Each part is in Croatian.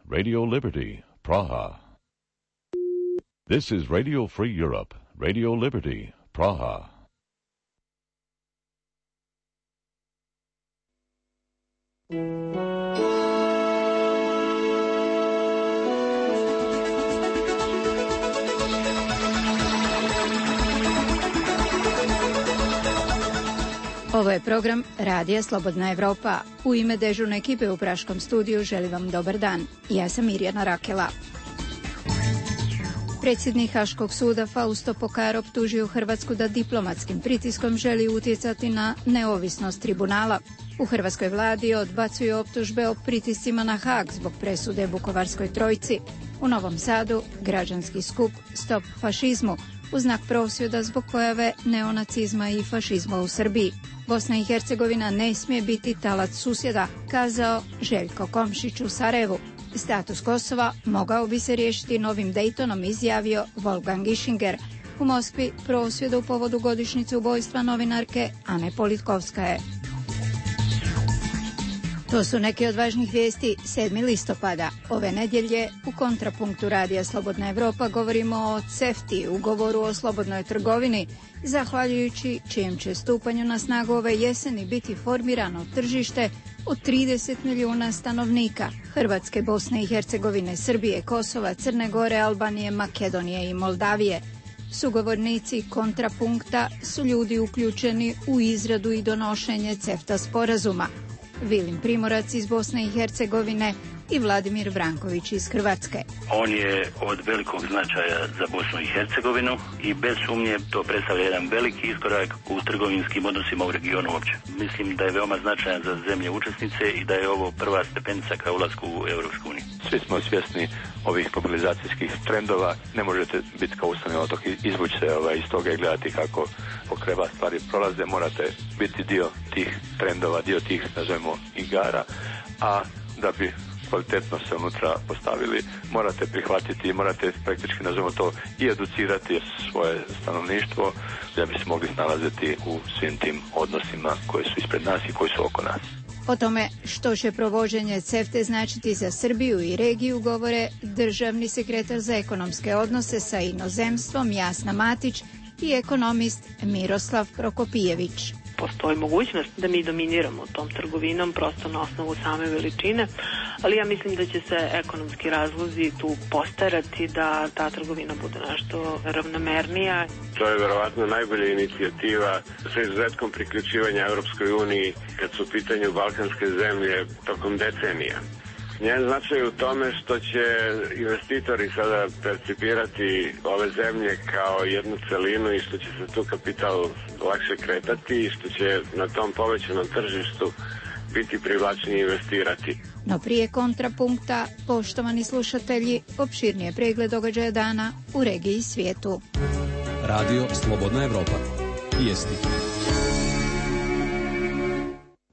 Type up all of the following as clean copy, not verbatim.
Radio Liberty, Praha. This is Radio Free Europe, Radio Liberty, Praha. Ovo je program Radija Slobodna Evropa. U ime dežurne ekipe u Praškom studiju želim vam dobar dan. Ja sam Mirjana Rakela. Predsjednik Haškog suda Fausto Pokar optužio Hrvatsku da diplomatskim pritiskom želi utjecati na neovisnost tribunala. U hrvatskoj vladi odbacuju optužbe o pritiscima na Haag zbog presude Vukovarskoj trojci. U Novom Sadu građanski skup Stop fašizmu u znak prosvjeda zbog pojave neonacizma i fašizma u Srbiji. Bosna i Hercegovina ne smije biti talac susjeda, kazao Željko Komšić u Sarajevu. Status Kosova mogao bi se riješiti novim Daytonom, izjavio Wolfgang Ischinger. U Moskvi prosvjed u povodu godišnjice ubojstva novinarke Ane Politkovskaje. To su neke od važnih vijesti 7. listopada. Ove nedjelje u kontrapunktu Radija Slobodna Evropa govorimo o CEFTA-i, ugovoru o slobodnoj trgovini, zahvaljujući čijem će stupanju na snagu ove jeseni biti formirano tržište od 30 milijuna stanovnika Hrvatske, Bosne i Hercegovine, Srbije, Kosova, Crne Gore, Albanije, Makedonije i Moldavije. Sugovornici kontrapunkta su ljudi uključeni u izradu i donošenje CEFTA sporazuma. Vilim Primorac iz Bosne i Hercegovine i Vladimir Vranković iz Hrvatske. On je od velikog značaja za Bosnu i Hercegovinu i bez sumnje to predstavlja jedan veliki iskorak u trgovinskim odnosima u regionu uopće. Mislim da je veoma značajan za zemlje učesnice i da je ovo prva stepenica ka ulasku u Europsku uniju. Svi smo svjesni ovih mobilizacijskih trendova. Ne možete biti kao ustavni otok, izvući se iz toga i gledati kako pokreva stvari prolaze. Morate biti dio tih trendova, dio tih, nazovemo, igara, a da bi kvalitetno se unutra postavili, morate prihvatiti i morate praktički, nazovimo to, i educirati svoje stanovništvo da bi se mogli snalaziti u svim tim odnosima koji su ispred nas i koji su oko nas. O tome što će provođenje CEFTA značiti za Srbiju i regiju govore državni sekretar za ekonomske odnose sa inozemstvom Jasna Matić i ekonomist Miroslav Prokopijević. Postoji mogućnost da mi dominiramo tom trgovinom prosto na osnovu same veličine, ali ja mislim da će se ekonomski razlozi tu postarati da ta trgovina bude nešto ravnomernija. To je verovatno najbolja inicijativa sa izuzetkom priključivanja Europskoj uniji kad su u pitanju balkanske zemlje tokom decenija. Njen značaj u tome što će investitori sada percipirati ove zemlje kao jednu celinu i što će se tu kapital lakše kretati i što će na tom povećanom tržištu biti privlačnije investirati. No prije kontrapunkta, poštovani slušatelji, opširnije pregled događaja dana u regiji i svijetu. Radio Slobodna Evropa. Vijesti.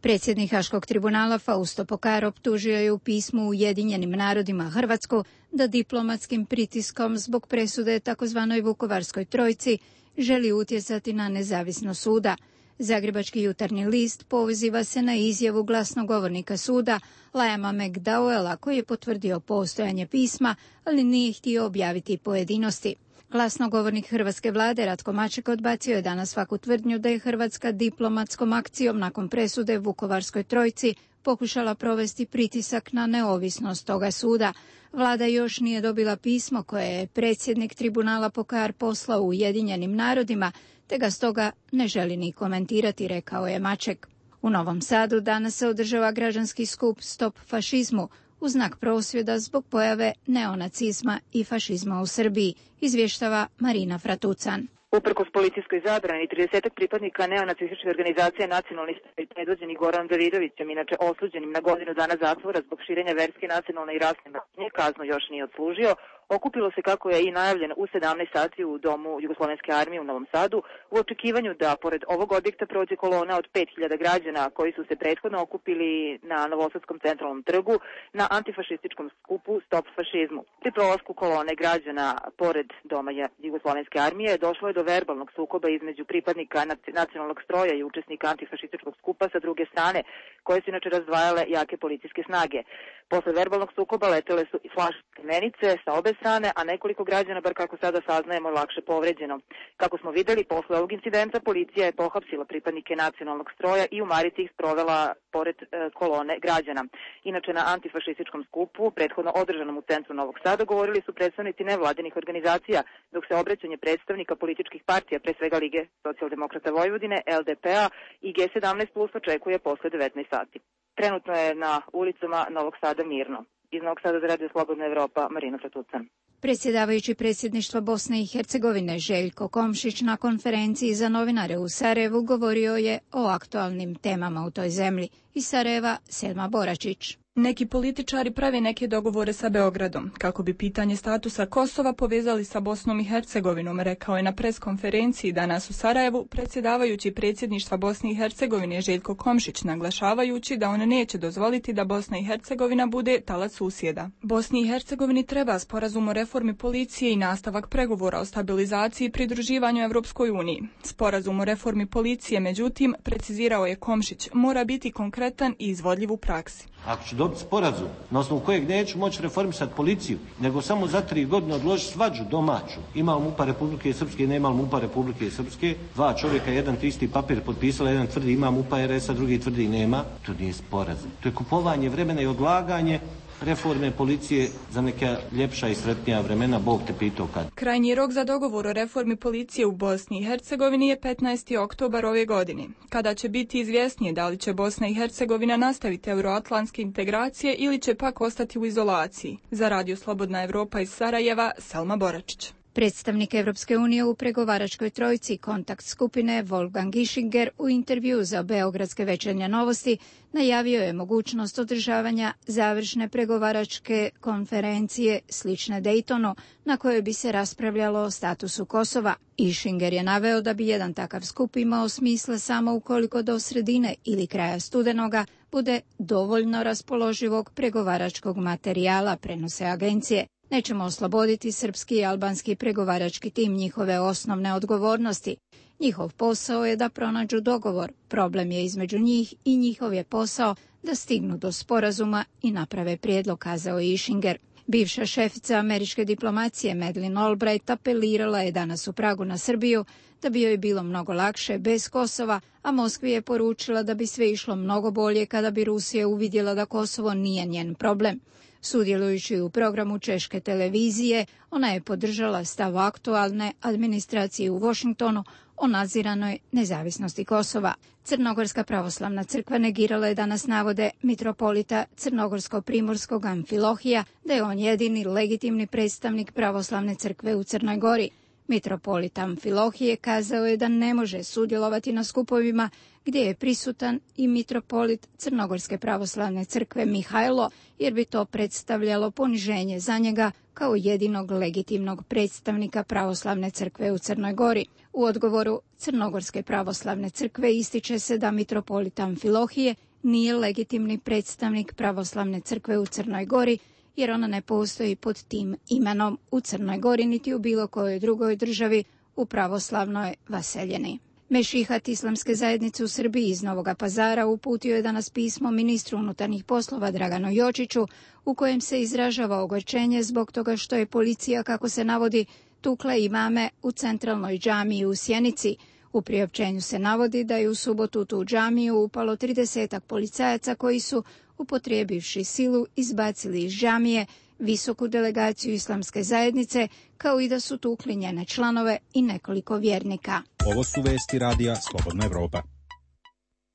Predsjednik Haškog tribunala Fausto Pokar optužio je u pismu Ujedinjenim narodima Hrvatsku da diplomatskim pritiskom zbog presude takozvanoj Vukovarskoj trojci želi utjecati na nezavisnost suda. Zagrebački jutarnji list poziva se na izjavu glasnogovornika suda Liama McDowella koji je potvrdio postojanje pisma, ali nije htio objaviti pojedinosti. Glasnogovornik hrvatske vlade Ratko Maček odbacio je danas svaku tvrdnju da je Hrvatska diplomatskom akcijom nakon presude Vukovarskoj trojci pokušala provesti pritisak na neovisnost toga suda. Vlada još nije dobila pismo koje je predsjednik tribunala Pokar poslao Ujedinjenim narodima, te ga stoga ne želi ni komentirati, rekao je Maček. U Novom Sadu danas se održava građanski skup Stop fašizmu u znak prosvjeda zbog pojave neonacizma i fašizma u Srbiji, izvještava Marina Fratucan. Uprkos policijskoj zabrani, 30 pripadnika neonacističke organizacije Nacionalni savez predvođeni Goran Davidovićem, inače osuđenim na godinu dana zatvora zbog širenja verske, nacionalne i rasne mržnje, kaznu još nije odslužio, okupilo se kako je i najavljeno u 17 sati u domu Jugoslovenske armije u Novom Sadu u očekivanju da pored ovog objekta prođe kolona od 5000 građana koji su se prethodno okupili na Novosadskom centralnom trgu na antifašističkom skupu Stop fašizmu. Pri prolasku kolone građana pored doma Jugoslovenske armije došlo je do verbalnog sukoba između pripadnika nacionalnog stroja i učesnika antifašističkog skupa sa druge strane, koje su inače razdvajale jake policijske snage. Posle verbalnog sukoba letele su i flaške menice sa obe strane, a nekoliko građana, bar kako sada saznajemo, lakše povređeno. Kako smo videli, posle ovog incidenta policija je pohapsila pripadnike nacionalnog stroja i u Marici ih sprovela pored kolone građana. Inače, na antifašističkom skupu, prethodno održanom u centru Novog Sada, govorili su predstavnici nevladinih organizacija, dok se obraćanje predstavnika političkih partija, pre svega Lige socijaldemokrata Vojvodine, LDP-a i G17 plus očekuje posle 19 sati. Trenutno je na ulicama Novog Sada mirno. Iz Novog Sada za Radio Slobodna Evropa, Marina Fratucan. Predsjedavajući predsjedništva Bosne i Hercegovine Željko Komšić na konferenciji za novinare u Sarajevu govorio je o aktualnim temama u toj zemlji. Iz Sarajeva, Selma Boračić. Neki političari prave neke dogovore sa Beogradom, kako bi pitanje statusa Kosova povezali sa Bosnom i Hercegovinom, rekao je na preskonferenciji danas u Sarajevu predsjedavajući predsjedništva Bosne i Hercegovine Željko Komšić, naglašavajući da on neće dozvoliti da Bosna i Hercegovina bude talac susjeda. Bosni i Hercegovini treba sporazum o reformi policije i nastavak pregovora o stabilizaciji i pridruživanju Evropskoj uniji. Sporazum o reformi policije, međutim, precizirao je Komšić, mora biti konkretan i izvodljiv u praksi. Ako ću dobiti sporazum na osnovu kojeg neću moći reformisati policiju, nego samo za 3 godine odložiti svađu domaću, ima MUP-a Republike Srpske, nema MUP-a Republike Srpske, 2 čovjeka, jedan te isti papir potpisala, jedan tvrdi ima MUP-a RS-a, drugi tvrdi nema, to nije sporazum. To je kupovanje vremena i odlaganje reforme policije za neka ljepša i sretnija vremena, Bog te pitao kad. Krajnji rok za dogovor o reformi policije u Bosni i Hercegovini je 15. oktobar ove godine, kada će biti izvjesnije da li će Bosna i Hercegovina nastaviti euroatlantske integracije ili će pak ostati u izolaciji. Za Radio Slobodna Evropa iz Sarajeva, Selma Boračić. Predstavnik Evropske unije u pregovaračkoj trojci kontakt skupine Wolfgang Ischinger u intervjuu za Beogradske večernje novosti najavio je mogućnost održavanja završne pregovaračke konferencije slične Daytonu na kojoj bi se raspravljalo o statusu Kosova. Ischinger je naveo da bi jedan takav skup imao smisla samo ukoliko do sredine ili kraja studenoga bude dovoljno raspoloživog pregovaračkog materijala, prenose agencije. Nećemo osloboditi srpski i albanski pregovarački tim njihove osnovne odgovornosti. Njihov posao je da pronađu dogovor, problem je između njih i njihov je posao da stignu do sporazuma i naprave prijedlog, kazao je Ischinger. Bivša šefica američke diplomacije Madeleine Albright apelirala je danas u Pragu na Srbiju da bi joj bilo mnogo lakše bez Kosova, a Moskvi je poručila da bi sve išlo mnogo bolje kada bi Rusija uvidjela da Kosovo nije njen problem. Sudjelujući u programu češke televizije, ona je podržala stav aktualne administracije u Washingtonu o nadziranoj nezavisnosti Kosova. Crnogorska pravoslavna crkva negirala je danas navode mitropolita Crnogorsko-primorskog Amfilohija da je on jedini legitimni predstavnik pravoslavne crkve u Crnoj Gori. Mitropolit Amfilohije kazao je da ne može sudjelovati na skupovima gdje je prisutan i mitropolit Crnogorske pravoslavne crkve Mihajlo, jer bi to predstavljalo poniženje za njega kao jedinog legitimnog predstavnika pravoslavne crkve u Crnoj Gori. U odgovoru Crnogorske pravoslavne crkve ističe se da mitropolit Amfilohije nije legitimni predstavnik pravoslavne crkve u Crnoj Gori, jer ona ne postoji pod tim imenom u Crnoj Gori niti u bilo kojoj drugoj državi u pravoslavnoj vaseljeni. Mešihat Islamske zajednice u Srbiji iz Novoga Pazara uputio je danas pismo ministru unutarnjih poslova Draganu Jočiću u kojem se izražava ogorčenje zbog toga što je policija, kako se navodi, tukla imame u centralnoj džamiji u Sjenici. U priopćenju se navodi da je u subotu u tu džamiju upalo 30 policajaca koji su, upotrijebivši silu, izbacili iz džamije visoku delegaciju Islamske zajednice, kao i da su tukli njene članove i nekoliko vjernika. Ovo su vesti radija Slobodna Evropa.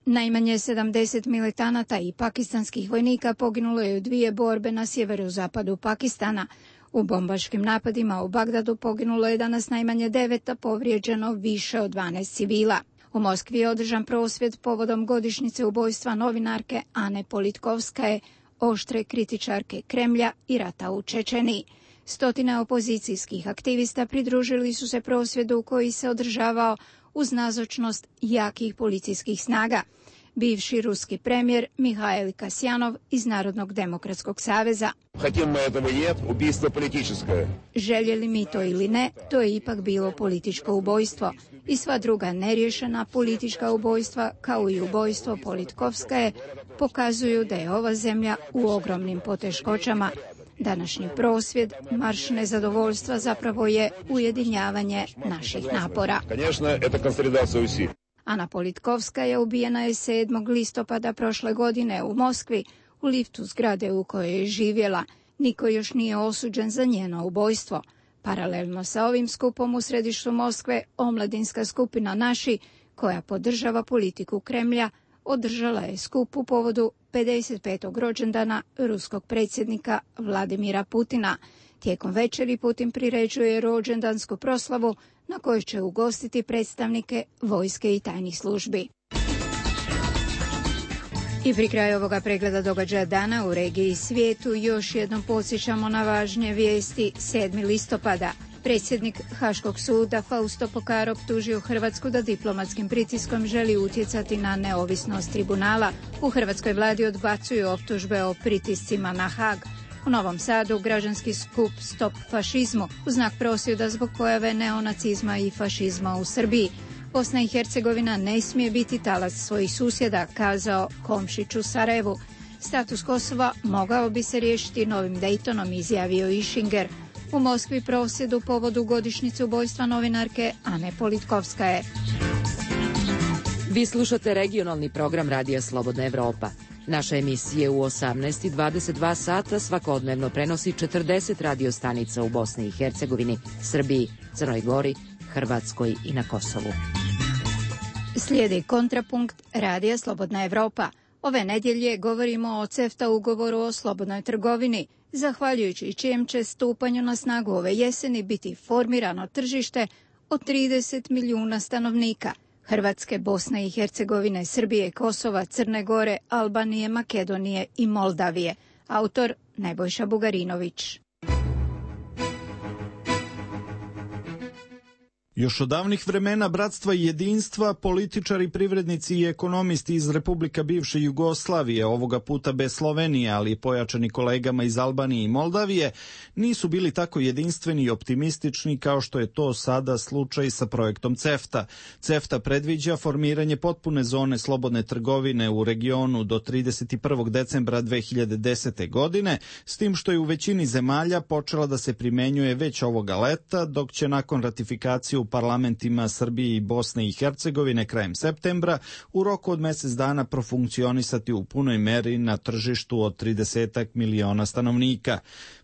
Najmanje 70 militanata i pakistanskih vojnika poginulo je u 2 borbe na sjeverozapadu Pakistana. U bombaškim napadima u Bagdadu poginulo je danas najmanje 9, a povrijeđeno više od 12 civila. U Moskvi je održan prosvjed povodom godišnjice ubojstva novinarke Ane Politkovskaje, oštre kritičarke Kremlja i rata u Čečeniji. Stotine opozicijskih aktivista pridružili su se prosvjedu koji se održavao uz nazočnost jakih policijskih snaga. Bivši ruski premijer Mihail Kasjanov iz Narodnog demokratskog saveza. Željeli mi to ili ne, to je ipak bilo političko ubojstvo. I sva druga neriješena politička ubojstva, kao i ubojstvo Politkovskaje, pokazuju da je ova zemlja u ogromnim poteškoćama. Današnji prosvjed, marš nezadovoljstva zapravo je ujedinjavanje naših napora. Ana Politkovska je ubijena 7. listopada prošle godine u Moskvi, u liftu zgrade u kojoj je živjela. Niko još nije osuđen za njeno ubojstvo. Paralelno sa ovim skupom u središtu Moskve, omladinska skupina Naši, koja podržava politiku Kremlja, održala je skup u povodu 55. rođendana ruskog predsjednika Vladimira Putina. Tijekom večeri Putin priređuje rođendansku proslavu na kojoj će ugostiti predstavnike vojske i tajnih službi. I pri kraju ovoga pregleda događaja dana u regiji i svijetu još jednom podsjećamo na važnije vijesti. 7. listopada. Predsjednik Haškog suda Fausto Pokar optužio Hrvatsku da diplomatskim pritiskom želi utjecati na neovisnost tribunala. U hrvatskoj vladi odbacuju optužbe o pritiscima na Haag. U Novom Sadu građanski skup Stop fašizmu u znak prosvjeda zbog pojave neonacizma i fašizma u Srbiji. Bosna i Hercegovina ne smije biti talac svojih susjeda, kazao Komšić u Sarajevu. Status Kosova mogao bi se riješiti novim Daytonom, izjavio Išinger. U Moskvi prosvjed u povodu godišnjice ubojstva novinarke Ane Politkovskaje. Vi slušate regionalni program Radija Slobodna Evropa. Naša emisija u 18:22 sata svakodnevno prenosi 40 radio stanica u Bosni i Hercegovini, Srbiji, Crnoj Gori, Hrvatskoj i na Kosovu. Slijedi kontrapunkt Radija Slobodna Evropa. Ove nedjelje govorimo o CEFTA ugovoru o slobodnoj trgovini, zahvaljujući čijem će stupanju na snagu ove jeseni biti formirano tržište od 30 milijuna stanovnika. Hrvatske, Bosne i Hercegovine, Srbije, Kosova, Crne Gore, Albanije, Makedonije i Moldavije. Autor Nebojša Bugarinović. Još od davnih vremena bratstva i jedinstva, političari, privrednici i ekonomisti iz Republika bivše Jugoslavije, ovoga puta bez Slovenije, ali i pojačani kolegama iz Albanije i Moldavije, nisu bili tako jedinstveni i optimistični kao što je to sada slučaj sa projektom CEFTA. CEFTA predviđa formiranje potpune zone slobodne trgovine u regionu do 31. decembra 2010. godine, s tim što je u većini zemalja počela da se primenjuje već ovoga leta, dok će nakon ratifikacije u parlamentima Srbije i Bosne i Hercegovine krajem septembra u roku od mjesec dana profunkcionisati u punoj meri na tržištu od 30 miliona stanovnika.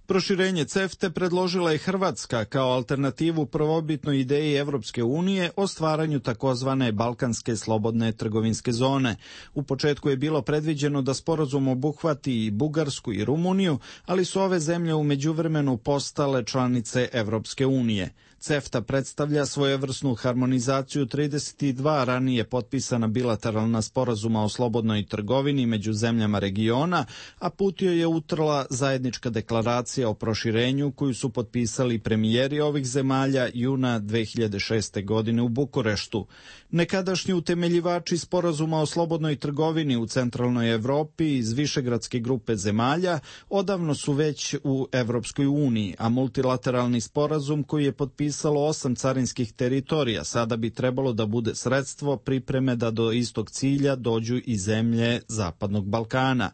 Proširenje CEFTA predložila je Hrvatska kao alternativu prvobitnoj ideji Evropske unije o stvaranju takozvane Balkanske slobodne trgovinske zone. U početku je bilo predviđeno da sporazum obuhvati i Bugarsku i Rumuniju, ali su ove zemlje u međuvremenu postale članice Evropske unije. CEFTA predstavlja svojevrsnu harmonizaciju 32 ranije potpisana bilateralna sporazuma o slobodnoj trgovini među zemljama regiona, a put joj je utrla zajednička deklaracija o proširenju koju su potpisali premijeri ovih zemalja juna 2006. godine u Bukureštu. Nekadašnji utemeljivači sporazuma o slobodnoj trgovini u centralnoj Evropi iz višegradske grupe zemalja odavno su već u Evropskoj uniji, a multilateralni sporazum koji je potpisalo 8 carinskih teritorija sada bi trebalo da bude sredstvo pripreme da do istog cilja dođu i zemlje Zapadnog Balkana.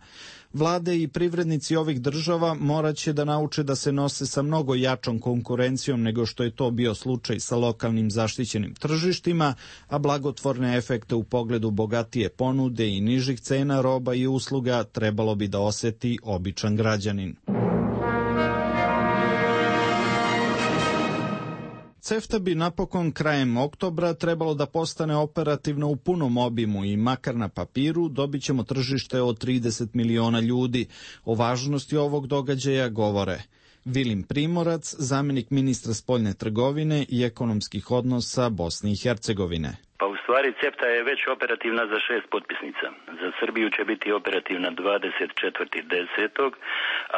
Vlade i privrednici ovih država morat će da nauče da se nose sa mnogo jačom konkurencijom nego što je to bio slučaj sa lokalnim zaštićenim tržištima, a blagotvorne efekte u pogledu bogatije ponude i nižih cena roba i usluga trebalo bi da osjeti običan građanin. CEFTA bi napokon krajem oktobra trebalo da postane operativno u punom obimu i makar na papiru dobit ćemo tržište od 30 miliona ljudi. O važnosti ovog događaja govore Vilim Primorac, zamjenik ministra spoljne trgovine i ekonomskih odnosa Bosne i Hercegovine. Pa u stvari CEFTA je već operativna za 6 potpisnica. Za Srbiju će biti operativna 24.10.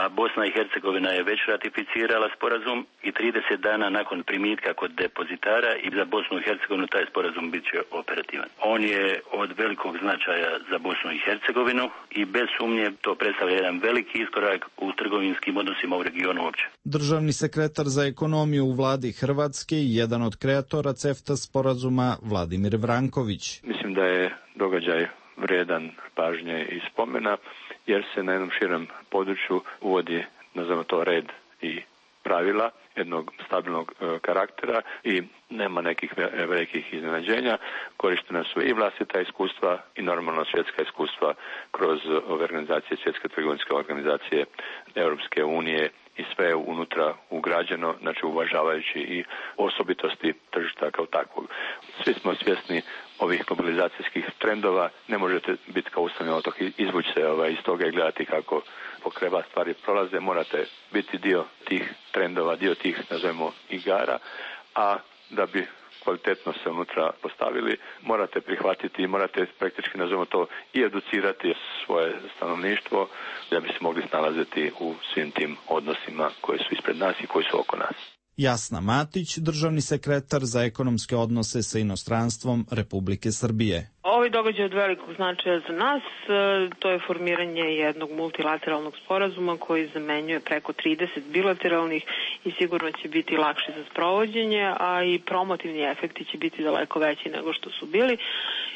a Bosna i Hercegovina je već ratificirala sporazum i 30 dana nakon primitka kod depozitara i za Bosnu i Hercegovinu taj sporazum bit će operativan. On je od velikog značaja za Bosnu i Hercegovinu i bez sumnje to predstavlja jedan veliki iskorak u trgovinskim odnosima u regionu uopće. Državni sekretar za ekonomiju u vladi Hrvatske i jedan od kreatora CEFTA sporazuma Vladimir Vranković. Mislim da je događaj vrijedan pažnje i spomena, jer se na jednom širem području uvodi, nazvamo to, red i pravila jednog stabilnog karaktera i nema nekih velikih iznenađenja. Korištena su i vlastita iskustva i normalno svjetska iskustva kroz ove organizacije, Svjetske trgovinske organizacije, Europske unije i sve unutra ugrađeno, znači uvažavajući i osobitosti tržišta kao takvog. Svi smo svjesni ovih globalizacijskih trendova, ne možete biti kao ustavni otok, izvući se iz toga i gledati kako pokreba stvari prolaze, morate biti dio tih trendova, dio tih, nazovemo, igara, a da bi kvalitetno se unutra postavili, morate prihvatiti i morate praktički, nazovemo to, i educirati svoje stanovništvo da bi se mogli snalaziti u svim tim odnosima koji su ispred nas i koji su oko nas. Jasna Matić, državni sekretar za ekonomske odnose sa inostranstvom Republike Srbije. Ovaj događaj je od velikog značaja za nas. To je formiranje jednog multilateralnog sporazuma koji zamenjuje preko 30 bilateralnih i sigurno će biti lakši za sprovođenje, a i promotivni efekti će biti daleko veći nego što su bili.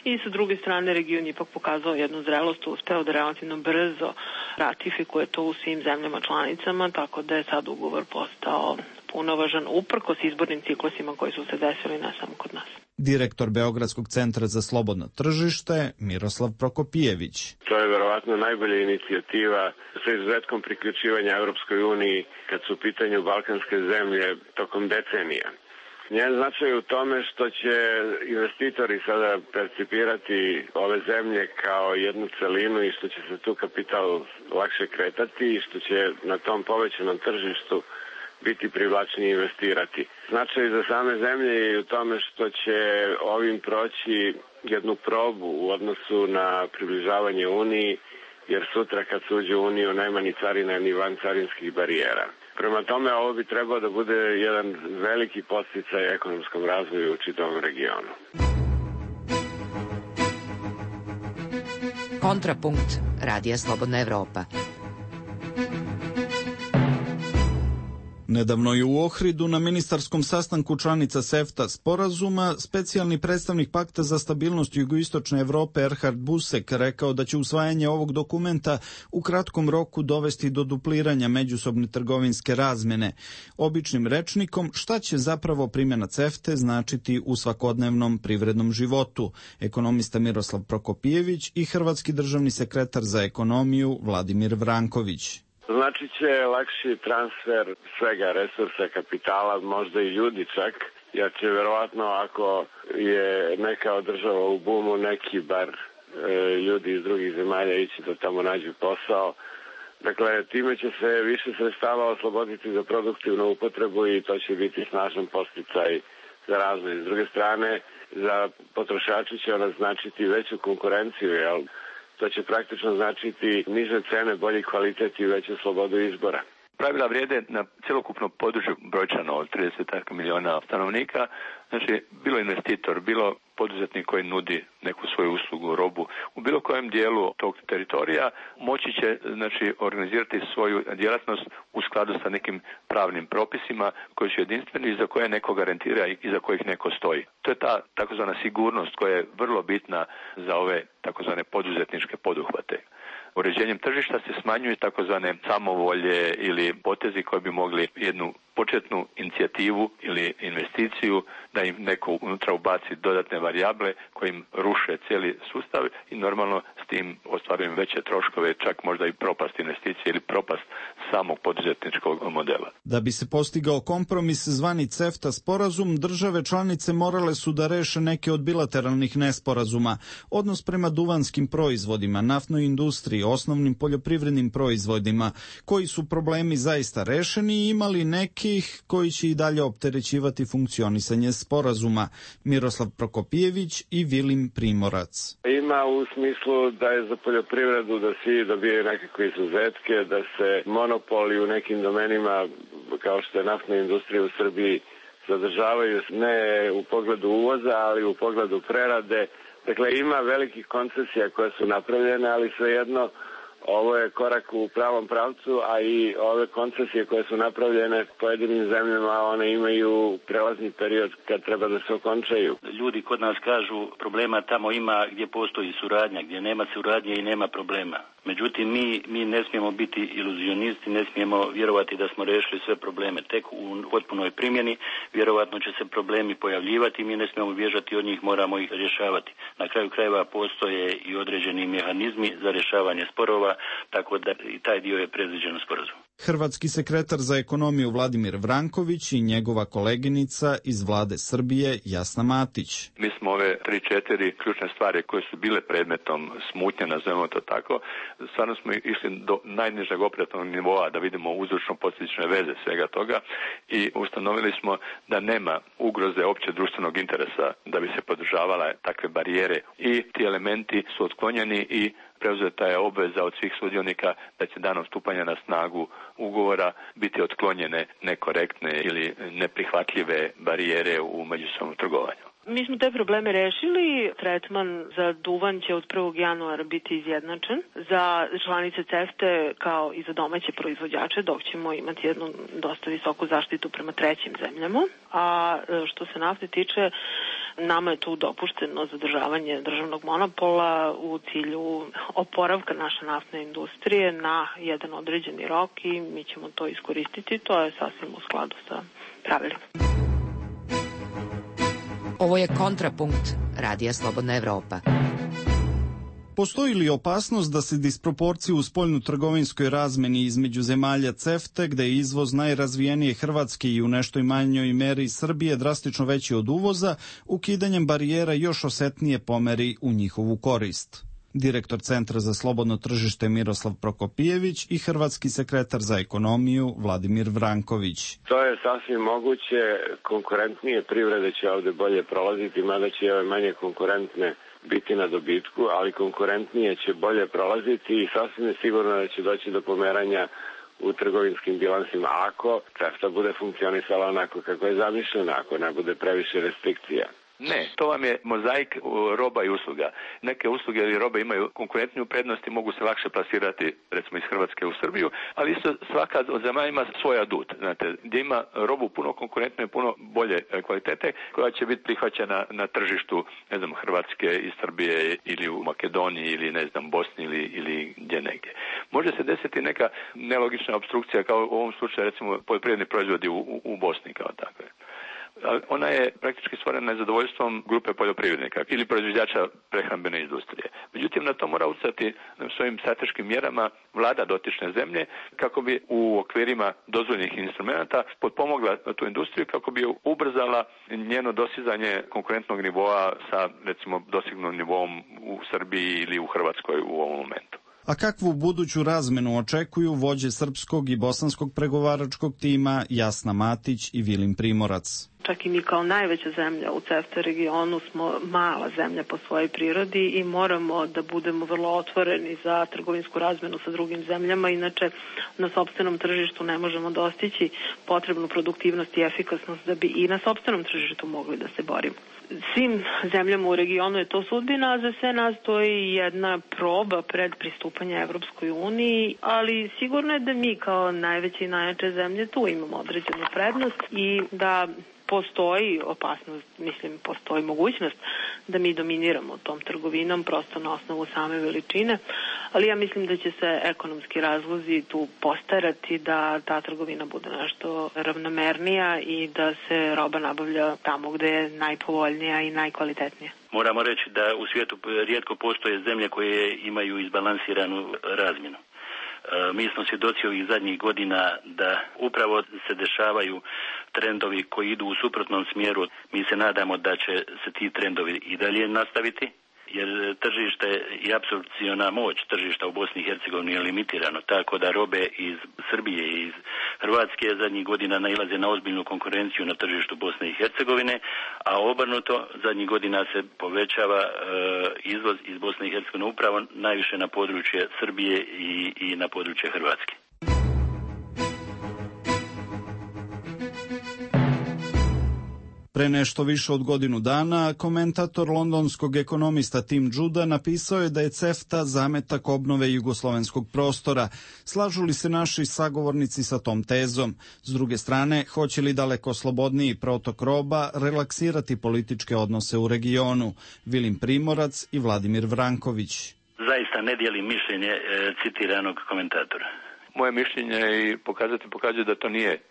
I sa druge strane region ipak pokazao jednu zrelost, uspeo da relativno brzo ratifikuje to u svim zemljama članicama, tako da je sad ugovor postao punovažan uprkos izbornim ciklusima koji su se desili ne samo kod nas. Direktor Beogradskog centra za slobodno tržište Miroslav Prokopijević. To je verovatno najbolja inicijativa sa izuzetkom priključivanja Europskoj uniji kad su u pitanju balkanske zemlje tokom decenija. Njen značaj u tome što će investitori sada percipirati ove zemlje kao jednu celinu i što će se tu kapital lakše kretati i što će na tom povećanom tržištu biti privlačnije investirati. Značaj za same zemlje je u tome što će ovim proći jednu probu u odnosu na približavanje Uniji, jer sutra kad se uđe u Uniju nema ni carina ni vancarinskih barijera. Prema tome, ovo bi trebao da bude jedan veliki podsticaj ekonomskom razvoju u čitavom regionu. Kontrapunkt Radija Slobodna Evropa. Nedavno je u Ohridu na ministarskom sastanku članica CEFTA sporazuma specijalni predstavnik Pakta za stabilnost jugoistočne Evrope Erhard Busek rekao da će usvajanje ovog dokumenta u kratkom roku dovesti do dupliranja međusobne trgovinske razmjene. Običnim rečnikom, šta će zapravo primjena CEFTE značiti u svakodnevnom privrednom životu? Ekonomista Miroslav Prokopijević i hrvatski državni sekretar za ekonomiju Vladimir Vranković. Znači će lakši transfer svega resursa, kapitala, možda i ljudi čak, jer će verovatno ako je neka država u bumu, neki bar ljudi iz drugih zemalja ići da tamo nađu posao. Dakle, time će se više sredstava osloboditi za produktivnu upotrebu i to će biti snažan podsticaj za razvoj. S druge strane, za potrošače će ona značiti veću konkurenciju, jel? To će praktično značiti niže cene, bolji kvalitet i veću slobodu izbora. Pravila vrijede na cjelokupnom području brojčano od 30 miliona stanovnika. Znači, bilo investitor, bilo poduzetnik koji nudi neku svoju uslugu, robu u bilo kojem dijelu tog teritorija moći će, znači, organizirati svoju djelatnost u skladu sa nekim pravnim propisima koji su jedinstveni i za koje neko garantira i za kojih neko stoji. To je ta takozvana sigurnost koja je vrlo bitna za ove takozvane poduzetničke poduhvate. Uređenjem tržišta se smanjuju takozvane samovolje ili potezi koji bi mogli jednu početnu inicijativu ili investiciju da im neko unutra ubaci dodatne varijable koje im ruše cijeli sustav i normalno s tim ostvarujem veće troškove, čak možda i propast investicije ili propast samog poduzetničkog modela. Da bi se postigao kompromis zvani CEFTA sporazum, države članice morale su da reše neke od bilateralnih nesporazuma. Odnos prema duvanskim proizvodima, naftnoj industriji, osnovnim poljoprivrednim proizvodima, koji su problemi zaista rešeni i imali nekih koji će i dalje opterećivati funkcionisanje sporazuma. Miroslav Prokopijević i Vilim Primorac. Ima u smislu da je za poljoprivredu da svi dobijaju nekakve izuzetke, da se monopoli u nekim domenima kao što je naftna industrija u Srbiji zadržavaju ne u pogledu uvoza, ali u pogledu prerade. Dakle, ima velikih koncesija koje su napravljene, ali svejedno Ovo je korak u pravom pravcu, a i ove koncesije koje su napravljene pojedinim zemljama, one imaju prelazni period kad treba da se okončaju. Ljudi kod nas kažu problema tamo ima gdje postoji suradnja, gdje nema suradnje i nema problema. Međutim, mi ne smijemo biti iluzionisti, ne smijemo vjerovati da smo riješili sve probleme. Tek u potpunoj primjeni vjerovatno će se problemi pojavljivati i mi ne smijemo bježati od njih, moramo ih rješavati. Na kraju krajeva postoje i određeni mehanizmi za rješavanje sporova, tako da i taj dio je predviđen u sporazumu. Hrvatski sekretar za ekonomiju Vladimir Vranković i njegova koleginica iz vlade Srbije Jasna Matić. Mi smo ove 3-4 ključne stvari koje su bile predmetom smutnje, nazovemo to tako, stvarno smo išli do najnižeg operativnog nivoa da vidimo uzročno-posljedične veze svega toga i ustanovili smo da nema ugroze opće društvenog interesa da bi se podržavala takve barijere i ti elementi su otklonjeni i preuzeta je obveza od svih sudionika da će danom stupanja na snagu ugovora biti otklonjene nekorektne ili neprihvatljive barijere u međusobnom trgovanju. Mi smo te probleme rešili. Tretman za duvan će od 1. januara biti izjednačen za članice CEFTA kao i za domaće proizvođače, dok ćemo imati jednu dosta visoku zaštitu prema trećim zemljama. A što se nafte tiče, nama je tu dopušteno zadržavanje državnog monopola u cilju oporavka naše naftne industrije na jedan određeni rok i mi ćemo to iskoristiti. To je sasvim u skladu sa pravilima. Ovo je Kontrapunkt, Radija Slobodna Evropa. Postoji li opasnost da se disproporcije u spoljno-trgovinskoj razmeni između zemalja CEFTA, gde je izvoz najrazvijenije Hrvatske i u nešto manjoj meri Srbije drastično veći od uvoza, ukidanjem barijera još osetnije pomeri u njihovu korist? Direktor Centra za slobodno tržište Miroslav Prokopijević i hrvatski sekretar za ekonomiju Vladimir Vranković. To je sasvim moguće, konkurentnije privrede će ovde bolje prolaziti, mada će ove manje konkurentne biti na dobitku, ali konkurentnije će bolje prolaziti i sasvim je sigurno da će doći do pomeranja u trgovinskim bilansima ako CEFTA bude funkcionisala onako kako je zamišljena, ako ne bude previše restrikcija. Ne, to vam je mozaik roba i usluga. Neke usluge ili robe imaju konkurentniju prednost i mogu se lakše plasirati, recimo iz Hrvatske u Srbiju, ali isto svaka od zemalja ima svoj adut, znate, gdje ima robu puno konkurentnije, puno bolje kvalitete, koja će biti prihvaćena na tržištu, ne znam, Hrvatske iz Srbije ili u Makedoniji ili, ne znam, Bosni ili gdje negdje. Može se desiti neka nelogična opstrukcija, kao u ovom slučaju, recimo, poljoprivredni proizvodi u Bosni kao takve. Ona je praktički stvorena nezadovoljstvom grupe poljoprivrednika ili proizvođača prehrambene industrije. Međutim, na to mora utjecati svojim strateškim mjerama vlada dotične zemlje kako bi u okvirima dozvoljenih instrumenta potpomogla tu industriju, kako bi ubrzala njeno dostizanje konkurentnog nivoa sa, recimo, dostignutim nivoom u Srbiji ili u Hrvatskoj u ovom momentu. A kakvu buduću razmenu očekuju vođe srpskog i bosanskog pregovaračkog tima Jasna Matić i Vilin Primorac? Čak i mi kao najveća zemlja u CEFTA regionu smo mala zemlja po svojoj prirodi i moramo da budemo vrlo otvoreni za trgovinsku razmenu sa drugim zemljama, inače na sopstvenom tržištu ne možemo dostići potrebnu produktivnost i efikasnost da bi i na sopstvenom tržištu mogli da se borimo. Svim zemljama u regionu je to sudbina, a za sve nas to je jedna proba pred pristupanje Evropskoj uniji, ali sigurno je da mi kao najveće i najjače zemlje tu imamo određenu prednost i da postoji opasnost, postoji mogućnost da mi dominiramo tom trgovinom prosto na osnovu same veličine, ali ja mislim da će se ekonomski razlozi tu postarati da ta trgovina bude nešto ravnomernija i da se roba nabavlja tamo gde je najpovoljnija i najkvalitetnija. Moramo reći da u svijetu rijetko postoje zemlje koje imaju izbalansiranu razmjenu. Mi smo svjedoci ovih zadnjih godina da upravo se dešavaju trendovi koji idu u suprotnom smjeru. Mi se nadamo da će se ti trendovi i dalje nastaviti, jer tržište i apsorpciona moć tržišta u Bosni i Hercegovini je limitirano, tako da robe iz Srbije i iz Hrvatske zadnjih godina nailaze na ozbiljnu konkurenciju na tržištu Bosne i Hercegovine, a obrnuto zadnjih godina se povećava izvoz iz Bosne i Hercegovine upravo najviše na područje Srbije i na područje Hrvatske. Pre nešto više od godinu dana, komentator londonskog ekonomista Tim Juda napisao je da je CEFTA zametak obnove jugoslovenskog prostora. Slažu li se naši sagovornici sa tom tezom? S druge strane, hoće li daleko slobodniji protok roba relaksirati političke odnose u regionu? Vilim Primorac i Vladimir Vranković. Zaista ne dijelim mišljenje citiranog komentatora. Moje mišljenje i pokazuje da to nije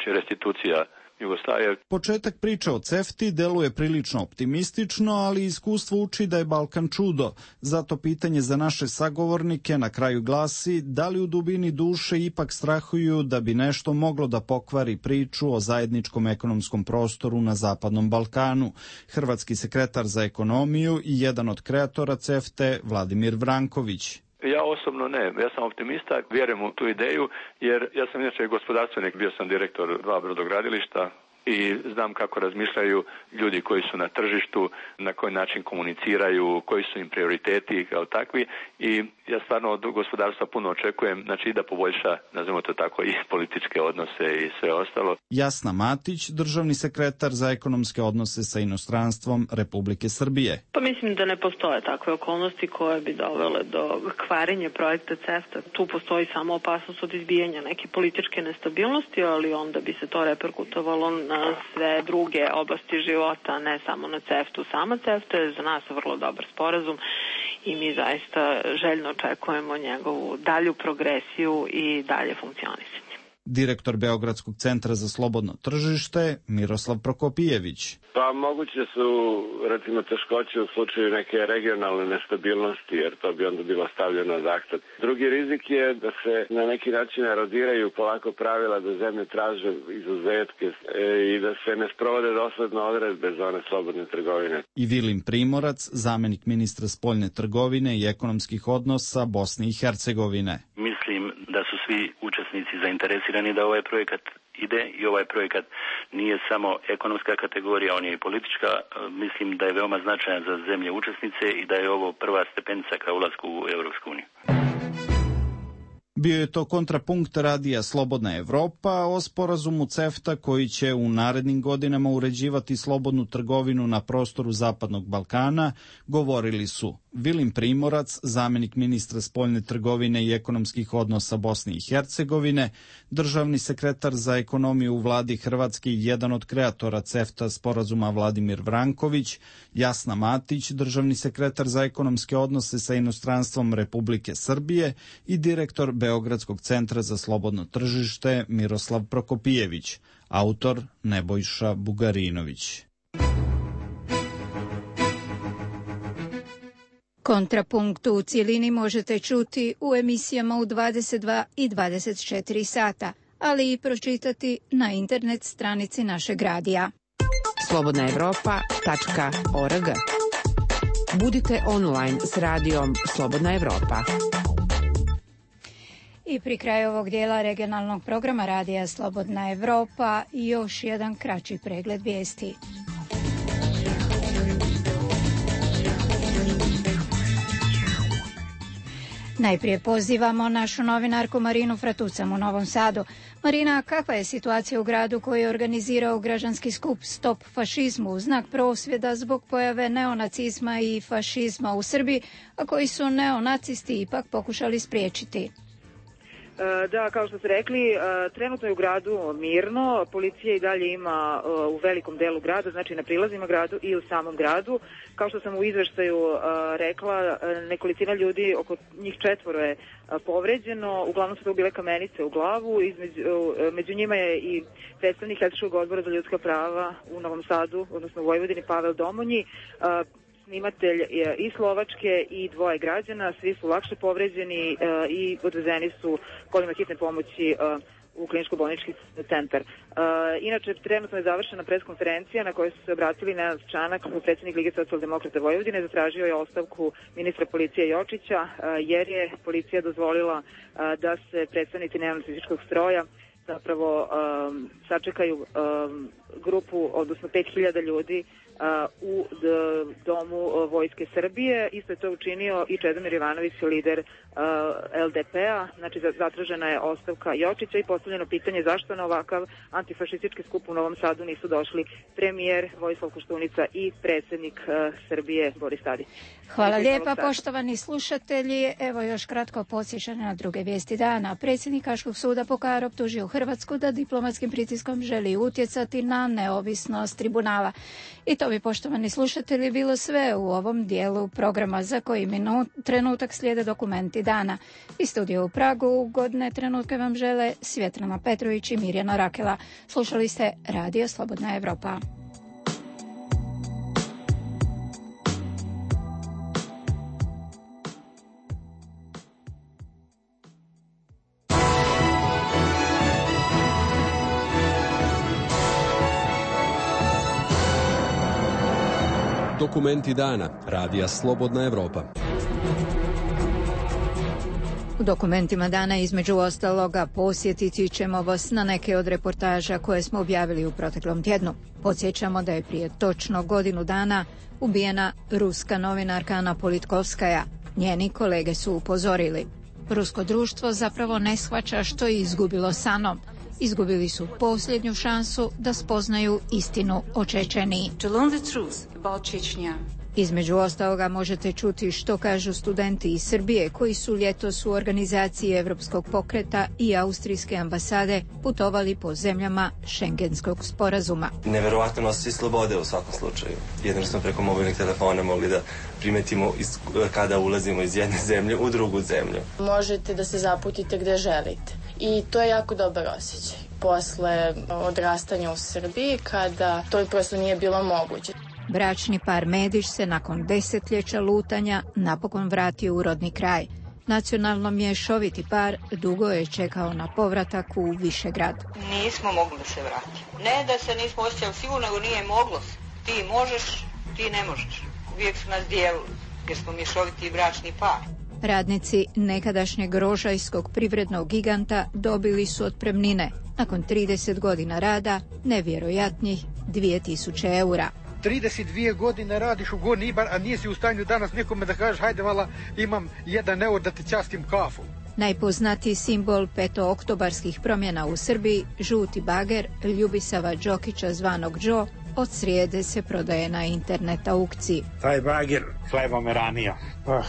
restitucija Jugoslavije. Početak priče o CEFTI deluje prilično optimistično, ali iskustvo uči da je Balkan čudo. Zato pitanje za naše sagovornike na kraju glasi da li u dubini duše ipak strahuju da bi nešto moglo da pokvari priču o zajedničkom ekonomskom prostoru na Zapadnom Balkanu. Hrvatski sekretar za ekonomiju i jedan od kreatora CEFTE, Vladimir Vranković. Ja osobno ne, ja sam optimista, vjerujem u tu ideju, jer ja sam inače gospodarstvenik, bio sam direktor 2 brodogradilišta i znam kako razmišljaju ljudi koji su na tržištu, na koji način komuniciraju, koji su im prioriteti kao takvi i ja stvarno od gospodarstva puno očekujem, znači da poboljša, nazvimo to tako, i političke odnose i sve ostalo. Jasna Matić, državni sekretar za ekonomske odnose sa inostranstvom Republike Srbije. Pa mislim da ne postoje takve okolnosti koje bi dovele do kvarenja projekta CEFTA. Tu postoji samo opasnost od izbijanja neke političke nestabilnosti, ali onda bi se to reperkutovalo na sve druge oblasti života, ne samo na CEFTA-u. Sama CEFTA je za nas vrlo dobar sporazum i mi zaista željno očekujemo njegovu dalju progresiju i dalje funkcionisanje. Direktor Beogradskog centra za slobodno tržište Miroslav Prokopijević. Pa moguće su, recimo, teškoće u slučaju neke regionalne nestabilnosti, jer to bi onda bilo stavljeno ad akta. Drugi rizik je da se na neki način erodiraju polako pravila, da zemlje traže izuzetke i da se ne sprovode dosledno odredbe zone slobodne trgovine. I Vilim Primorac, zamenik ministra spoljne trgovine i ekonomskih odnosa Bosne i Hercegovine. Mislim da su svi učesnici zainteresirani da ovaj projekat ide i ovaj projekat nije samo ekonomska kategorija, on je i politička. Mislim da je veoma značajan za zemlje učesnice i da je ovo prva stepenica ka ulasku u Evropsku uniju. Bio je to kontrapunkt radija Slobodna Evropa o sporazumu CEFTA koji će u narednim godinama uređivati slobodnu trgovinu na prostoru Zapadnog Balkana. Govorili su Vilim Primorac, zamenik ministra spoljne trgovine i ekonomskih odnosa Bosne i Hercegovine, državni sekretar za ekonomiju u vladi Hrvatske i jedan od kreatora CEFTA sporazuma Vladimir Vranković, Jasna Matić, državni sekretar za ekonomske odnose sa inostranstvom Republike Srbije i direktor Beogradskog centra za slobodno tržište Miroslav Prokopijević, autor Nebojša Bugarinović. Kontrapunkt u cijelini možete čuti u emisijama u 22 i 24 sata, ali i pročitati na internet stranici našeg radija. slobodnaevropa.org. Budite online s radijom Slobodna Evropa. I pri kraju ovog dijela regionalnog programa radija Slobodna Evropa još jedan kraći pregled vijesti. Najprije pozivamo našu novinarku Marinu Fratucam u Novom Sadu. Marina, kakva je situacija u gradu koji je organizirao građanski skup Stop fašizmu u znak prosvjeda zbog pojave neonacizma i fašizma u Srbiji, a koji su neonacisti ipak pokušali spriječiti? Da, kao što ste rekli, trenutno je u gradu mirno, policija i dalje ima u velikom delu grada, znači na prilazima gradu i u samom gradu. Kao što sam u izveštaju rekla, nekolicina ljudi, oko njih 4 je povređeno, uglavnom su to bile kamenice u glavu, među njima je i predstavnik Etičkog odbora za ljudska prava u Novom Sadu, odnosno u Vojvodini, Pavel Domonji, snimatelj i Slovačke i 2 građana, svi su lakše povređeni i odvezeni su kolima hitne pomoći u kliničko-bolnički centar. Inače, trenutno je završena preskonferencija na kojoj su se obratili Nenad Čanak, predsjednik Lige socijaldemokrata Vojvodine, zatražio je ostavku ministra policije Jočića, jer je policija dozvolila da se predstavnici neonacističkog stroja zapravo sačekaju grupu, odnosno 5000 ljudi u domu Vojske Srbije. Isto je to učinio i Čedomir Jovanović, lider LDP-a. Znači, zatražena je ostavka Jočića i postavljeno pitanje zašto na ovakav antifašistički skup u Novom Sadu nisu došli premijer Vojislav Koštunica i predsjednik Srbije Boris Tadić. Hvala lijepa, poštovani slušatelji. Evo još kratko podsjećanje na druge vijesti dana. Predsjednik Haškog suda Pokar optužio Hrvatsku da diplomatskim pritiskom želi utjecati na neovisnost tribunala. I to bi, poštovani slušatelji, bilo sve u ovom dijelu programa za koji trenutak slijede dokumenti dana. Iz studija u Pragu ugodne trenutke vam žele Svjetlana Petrović i Mirjana Rakela. Slušali ste Radio Slobodna Evropa. Dokumenti dana. Radija Slobodna Evropa. U dokumentima dana između ostaloga posjetiti ćemo vas na neke od reportaža koje smo objavili u proteklom tjednu. Podsjećamo da je prije točno godinu dana ubijena ruska novinarka Ana Politkovskaja. Njeni kolege su upozorili. Rusko društvo zapravo ne shvaća što je izgubilo s Anom. Izgubili su posljednju šansu da spoznaju istinu o Čečeniji. Između ostaloga možete čuti što kažu studenti iz Srbije koji su ljetos u organizaciji Evropskog pokreta i Austrijske ambasade putovali po zemljama Šengenskog sporazuma. Neverovatno osjećaj slobode u svakom slučaju. Jedino smo preko mobilnih telefona mogli da primetimo kada ulazimo iz jedne zemlje u drugu zemlju. Možete da se zaputite gde želite i to je jako dobar osjećaj. Posle odrastanja u Srbiji kada to prosto nije bilo moguće. Bračni par Medić se nakon desetljeća lutanja napokon vratio u rodni kraj. Nacionalno mješoviti par dugo je čekao na povratak u Višegrad. Nismo mogli da se vratimo. Ne da se nismo osjećali sigurno, nego nije moglo se. Ti možeš, ti ne možeš. Uvijek su nas dijelili, jer smo mješoviti bračni par. Radnici nekadašnjeg rožajskog privrednog giganta dobili su otpremnine. Nakon 30 godina rada, nevjerojatnih 2000 eura. 32 godine radiš u Gornji Ibar, a nisi u stanju danas nekome da kažeš hajde vala imam 1 eur da ti častim kafu. Najpoznatiji simbol petooktobarskih promjena u Srbiji, žuti bager Ljubisava Đokića zvanog Đo, od srijede se prodaje na internet aukciji. Taj bager hleba me ranija.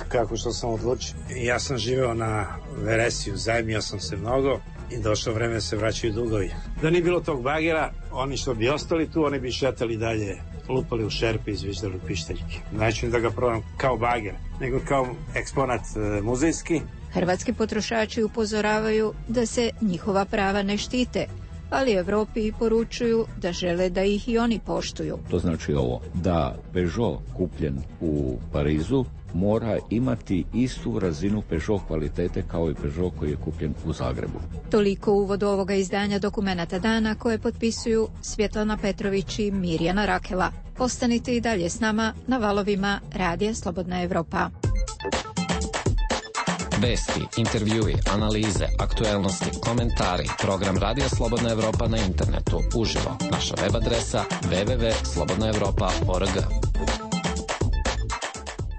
Kako što sam odlučio. Ja sam živeo na Veresiju, zajmio sam se mnogo i došlo vreme se vraćaju dugovi. Da nije bilo tog bagera, oni što bi ostali tu, oni bi šetali dalje, lupali u šerpe i izviždali pištaljke. Neću da ga probam kao bager, nego kao eksponat muzejski. Hrvatski potrošači upozoravaju da se njihova prava ne štite, ali Evropi poručuju da žele da ih i oni poštuju. To znači ovo, da Peugeot kupljen u Parizu mora imati istu razinu Peugeot kvalitete kao i Peugeot koji je kupljen u Zagrebu. Toliko uvod ovoga izdanja dokumenata dana koje potpisuju Svjetlana Petrović i Mirjana Rakela. Ostanite i dalje s nama na valovima Radija Slobodna Evropa. Vesti, intervjui, analize, aktuelnosti, komentari, program Radija Slobodna Evropa na internetu, uživo. Naša web adresa www.slobodnaevropa.org.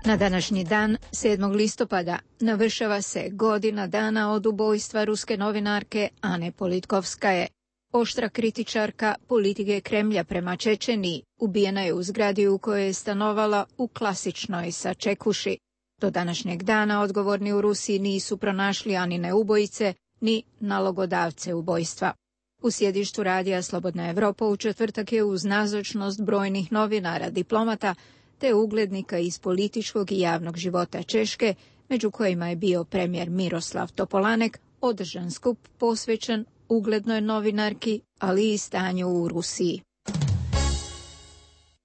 Na današnji dan, 7. listopada, navršava se godina dana od ubojstva ruske novinarke Ane Politkovskaje. Oštra kritičarka politike Kremlja prema Čečeniji ubijena je u zgradi u kojoj je stanovala u klasičnoj sačekuši. Do današnjeg dana odgovorni u Rusiji nisu pronašli Anine ubojice ni nalogodavce ubojstva. U sjedištu Radija Slobodna Evropa u četvrtak je uz nazočnost brojnih novinara, diplomata te uglednika iz političkog i javnog života Češke, među kojima je bio premijer Miroslav Topolanek, održan skup posvećen uglednoj novinarki, ali i stanju u Rusiji.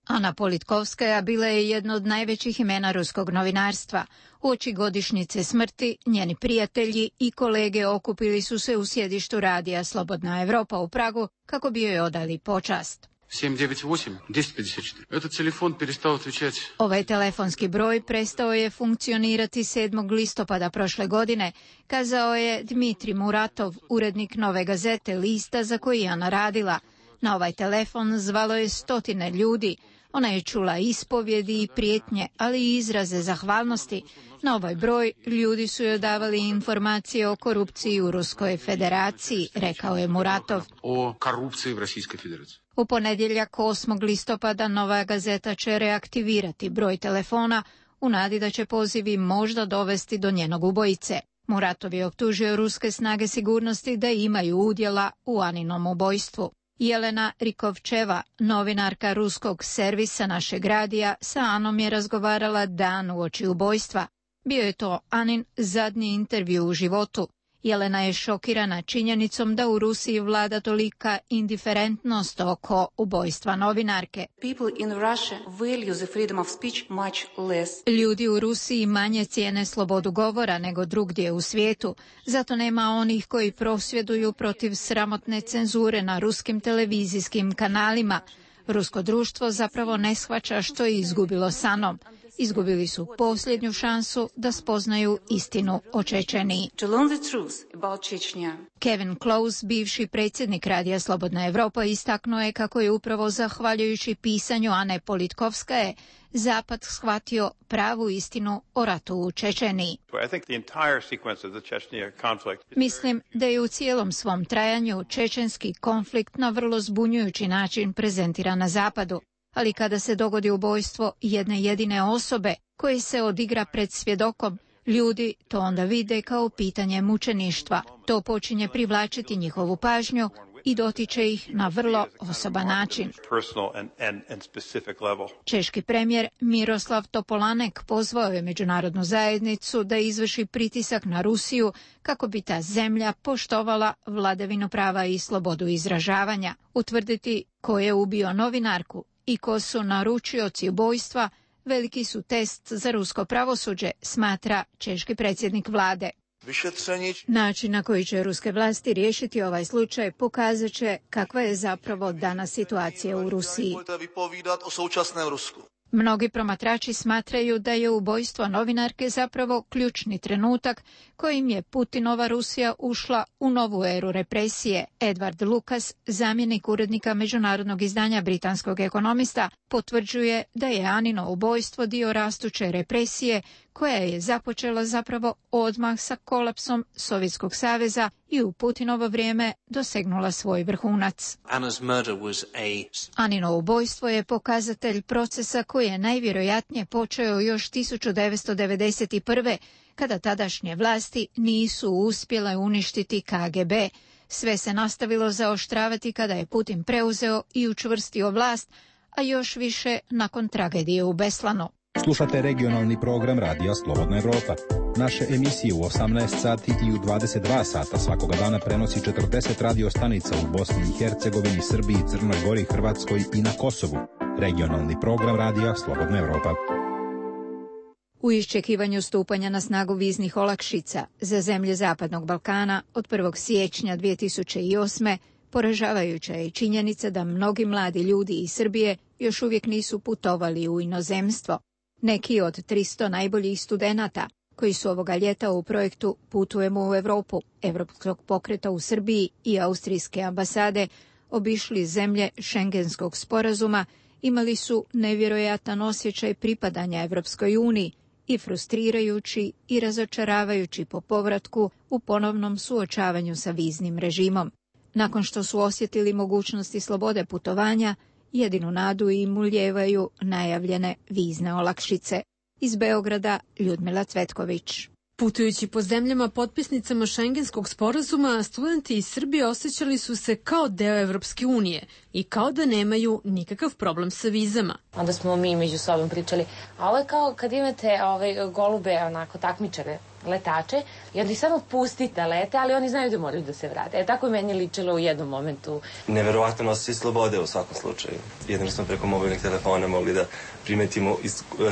Ana Politkovskaja bila je jedno od najvećih imena ruskog novinarstva. Uoči godišnjice smrti, njeni prijatelji i kolege okupili su se u sjedištu Radija Slobodna Evropa u Pragu kako bi joj odali počast. 798-1054. Этот телефон перестал отвечать. Ovaj telefonski broj prestao je funkcionirati 7. listopada prošle godine, kazao je Dmitri Muratov, urednik Nove gazete, lista za koji je Ana radila. Na ovaj telefon zvalo je stotine ljudi, Ona je čula ispovjedi i prijetnje, ali i izraze zahvalnosti. Na ovaj broj ljudi su joj davali informacije o korupciji u Ruskoj federaciji, rekao je Muratov. O korupciji u Rusijskoj federaciji. U ponedjeljak 8. listopada Nova Gazeta će reaktivirati broj telefona u nadi da će pozivi možda dovesti do njenog ubojice. Muratov je optužio ruske snage sigurnosti da imaju udjela u Aninom ubojstvu. Jelena Rikovčeva, novinarka ruskog servisa našeg radija, sa Anom je razgovarala dan uoči ubojstva. Bio je to Anin zadnji intervju u životu. Jelena je šokirana činjenicom da u Rusiji vlada tolika indiferentnost oko ubojstva novinarke. Ljudi u Rusiji manje cijene slobodu govora nego drugdje u svijetu, zato nema onih koji prosvjeduju protiv sramotne cenzure na ruskim televizijskim kanalima. Rusko društvo zapravo ne shvaća što je izgubilo s Anom. Izgubili su posljednju šansu da spoznaju istinu o Čečeniji. Kevin Close, bivši predsjednik Radija Slobodna Evropa, istaknuo je kako je upravo zahvaljujući pisanju Ane Politkovskaje Zapad shvatio pravu istinu o ratu u Čečeniji. Mislim da je u cijelom svom trajanju čečenski konflikt na vrlo zbunjujući način prezentiran na Zapadu. Ali kada se dogodi ubojstvo jedne jedine osobe koje se odigra pred svjedokom, ljudi to onda vide kao pitanje mučeništva. To počinje privlačiti njihovu pažnju i dotiče ih na vrlo osoban način. Češki premijer Miroslav Topolanek pozvao je međunarodnu zajednicu da izvrši pritisak na Rusiju kako bi ta zemlja poštovala vladavinu prava i slobodu izražavanja. Utvrditi ko je ubio novinarku i ko su naručioci ubojstva veliki su test za rusko pravosuđe, smatra češki predsjednik vlade. Način na koji će ruske vlasti riješiti ovaj slučaj pokazat će kakva je zapravo danas situacija u Rusiji. Mnogi promatrači smatraju da je ubojstvo novinarke zapravo ključni trenutak kojim je Putinova Rusija ušla u novu eru represije. Edward Lucas, zamjenik urednika međunarodnog izdanja britanskog Ekonomista, potvrđuje da je Anino ubojstvo dio rastuće represije koja je započela zapravo odmah sa kolapsom Sovjetskog saveza i u Putinovo vrijeme dosegnula svoj vrhunac. Anino ubojstvo je pokazatelj procesa koji je najvjerojatnije počeo još 1991. kada tadašnje vlasti nisu uspjele uništiti KGB. Sve se nastavilo zaoštravati kada je Putin preuzeo i učvrstio vlast, a još više nakon tragedije u Beslanu. Slušate regionalni program Radija Slobodna Evropa. Naše emisije u 18 sati i u 22 sata svakoga dana prenosi 40 radio stanica u Bosni i Hercegovini, Srbiji, Crnoj Gori, Hrvatskoj i na Kosovu. Regionalni program Radija Slobodna Evropa. U iščekivanju stupanja na snagu viznih olakšica za zemlje Zapadnog Balkana od 1. siječnja 2008. poražavajuća je činjenica da mnogi mladi ljudi iz Srbije još uvijek nisu putovali u inozemstvo. Neki od 300 najboljih studenata koji su ovoga ljeta u projektu Putujemo u Europu, Evropskog pokreta u Srbiji i Austrijske ambasade obišli zemlje Šengenskog sporazuma, imali su nevjerojatan osjećaj pripadanja Evropskoj uniji i frustrirajući i razočaravajući po povratku u ponovnom suočavanju sa viznim režimom. Nakon što su osjetili mogućnosti slobode putovanja, jedinu nadu im ulijevaju najavljene vizne olakšice. Iz Beograda Ljudmila Cvetković. Putujući po zemljama potpisnicama Šengenskog sporazuma, studenti iz Srbije osjećali su se kao deo Evropske unije i kao da nemaju nikakav problem sa vizama. Onda smo mi među sobom pričali, a ovo je kao kad imate golube, onako takmičare, letače, i onda ih samo pustite da lete, ali oni znaju da moraju da se vrate. Tako je meni ličilo u jednom momentu. Neverovatno osjećaj slobode u svakom slučaju. Jedino smo preko mobilnih telefona mogli da primetimo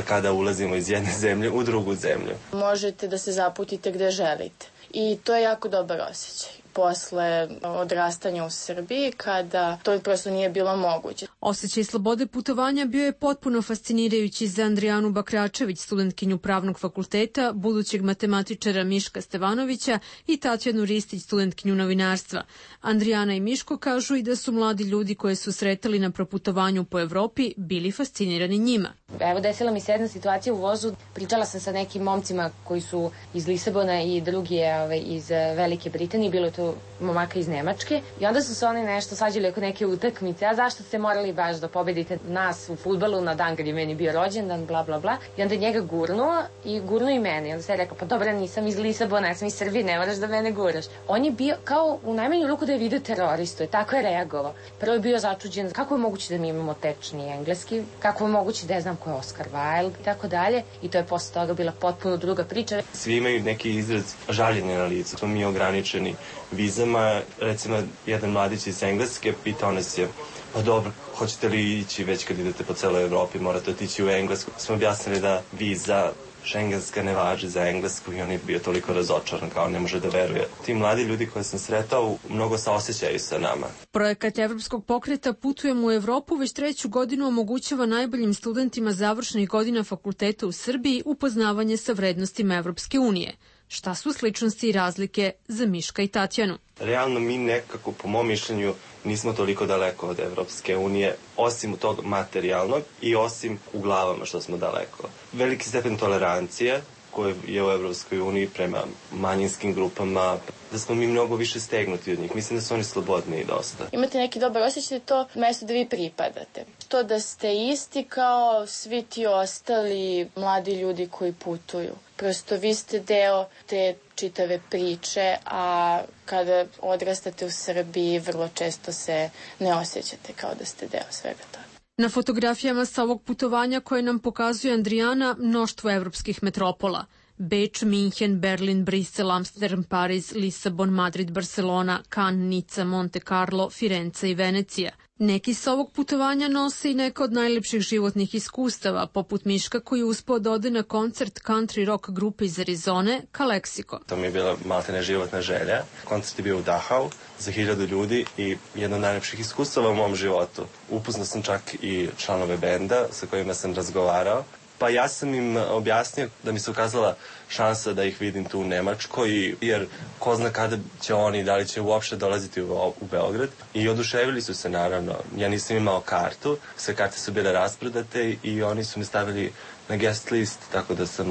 kada ulazimo iz jedne zemlje u drugu zemlju. Možete da se zaputite gde želite i to je jako dobar osjećaj. posle odrastanja u Srbiji kada to prosto nije bilo moguće. Osjećaj slobode putovanja bio je potpuno fascinirajući za Andrijanu Bakračević, studentkinju Pravnog fakulteta, budućeg matematičara Miška Stevanovića i Tatjanu Ristić, studentkinju novinarstva. Andrijana i Miško kažu i da su mladi ljudi koje su sretali na proputovanju po Evropi bili fascinirani njima. Evo, desila mi se jedna situacija u vozu. Pričala sam sa nekim momcima koji su iz Lisabona i drugi je iz Velike Britanije, bilo je to momaka iz Nemačke. I onda su se oni nešto svađali oko neke utakmice. A zašto ste morali baš da pobedite nas u fudbalu na dan kad je meni bio rođendan, bla, bla, bla. I onda je njega gurnuo i gurnuo i mene. I onda se je rekao, pa dobro, nisam iz Lisabona, ja sam iz Srbije, ne moraš da mene guraš. On je bio kao u najmanju ruku da je video teroristu, tako je reagovao. Prvo je bio začuđen, kako je moguće da mi imamo tečni engleski, kako je moguće da znam ko je Oscar Wilde i tako dalje. I to je posle toga bila potpuno druga priča. Svi imaju neki izraz žaljenja na licu. Smo mi ograničeni vizama. Recimo, jedan mladić iz Engleske pitao nas je, pa dobro, hoćete li ići već kad idete po celoj Evropi, morate otići u Englesku. Smo objasnili da viza šengenska ne važi za Englesku i on je bio toliko razočaran, kao ne može da veruje. Ti mladi ljudi koje sam sretao mnogo saosećaju sa nama. Projekat Evropskog pokreta Putujemo u Evropu već 3. godinu omogućava najboljim studentima završnih godina fakulteta u Srbiji upoznavanje sa vrednostima Evropske unije. Šta su sličnosti i razlike za Miška i Tatjanu? Realno mi nekako, po mom mišljenju, nismo toliko daleko od Evropske unije, osim tog materijalnog i osim u glavama što smo daleko. Veliki stepen tolerancije koje je u Evropskoj uniji prema manjinskim grupama, da smo mi mnogo više stegnuti od njih. Mislim da su oni slobodniji dosta. Imate neki dobar osjećaj da to mesto da vi pripadate. To da ste isti kao svi ti ostali mladi ljudi koji putuju. Prosto vi ste deo te čitave priče, a kada odrastate u Srbiji vrlo često se ne osjećate kao da ste deo svega toga. Na fotografijama sa ovog putovanja koje nam pokazuje Andrijana mnoštvo evropskih metropola. Beč, Minhen, Berlin, Brisel, Amsterdam, Pariz, Lisabon, Madrid, Barcelona, Cannes, Nica, Monte Carlo, Firenze i Venecija. Neki sa ovog putovanja nose i neka od najlepših životnih iskustava, poput Miška koji je uspeo da ode na koncert country rock grupe iz Arizone, Kaleksiko. To mi je bila maltene životna želja. Koncert je bio u Dachau za 1000 ljudi i jedno od najlepših iskustava u mom životu. Upoznao sam čak i članove benda sa kojima sam razgovarao. Pa ja sam im objasnio da mi se ukazala šansa da ih vidim tu u Nemačkoj, jer ko zna kada će oni, da li će uopšte dolaziti u Beograd. I oduševili su se, naravno. Ja nisam imao kartu, sve karte su bile rasprodate i oni su mi stavili na guest list, tako da sam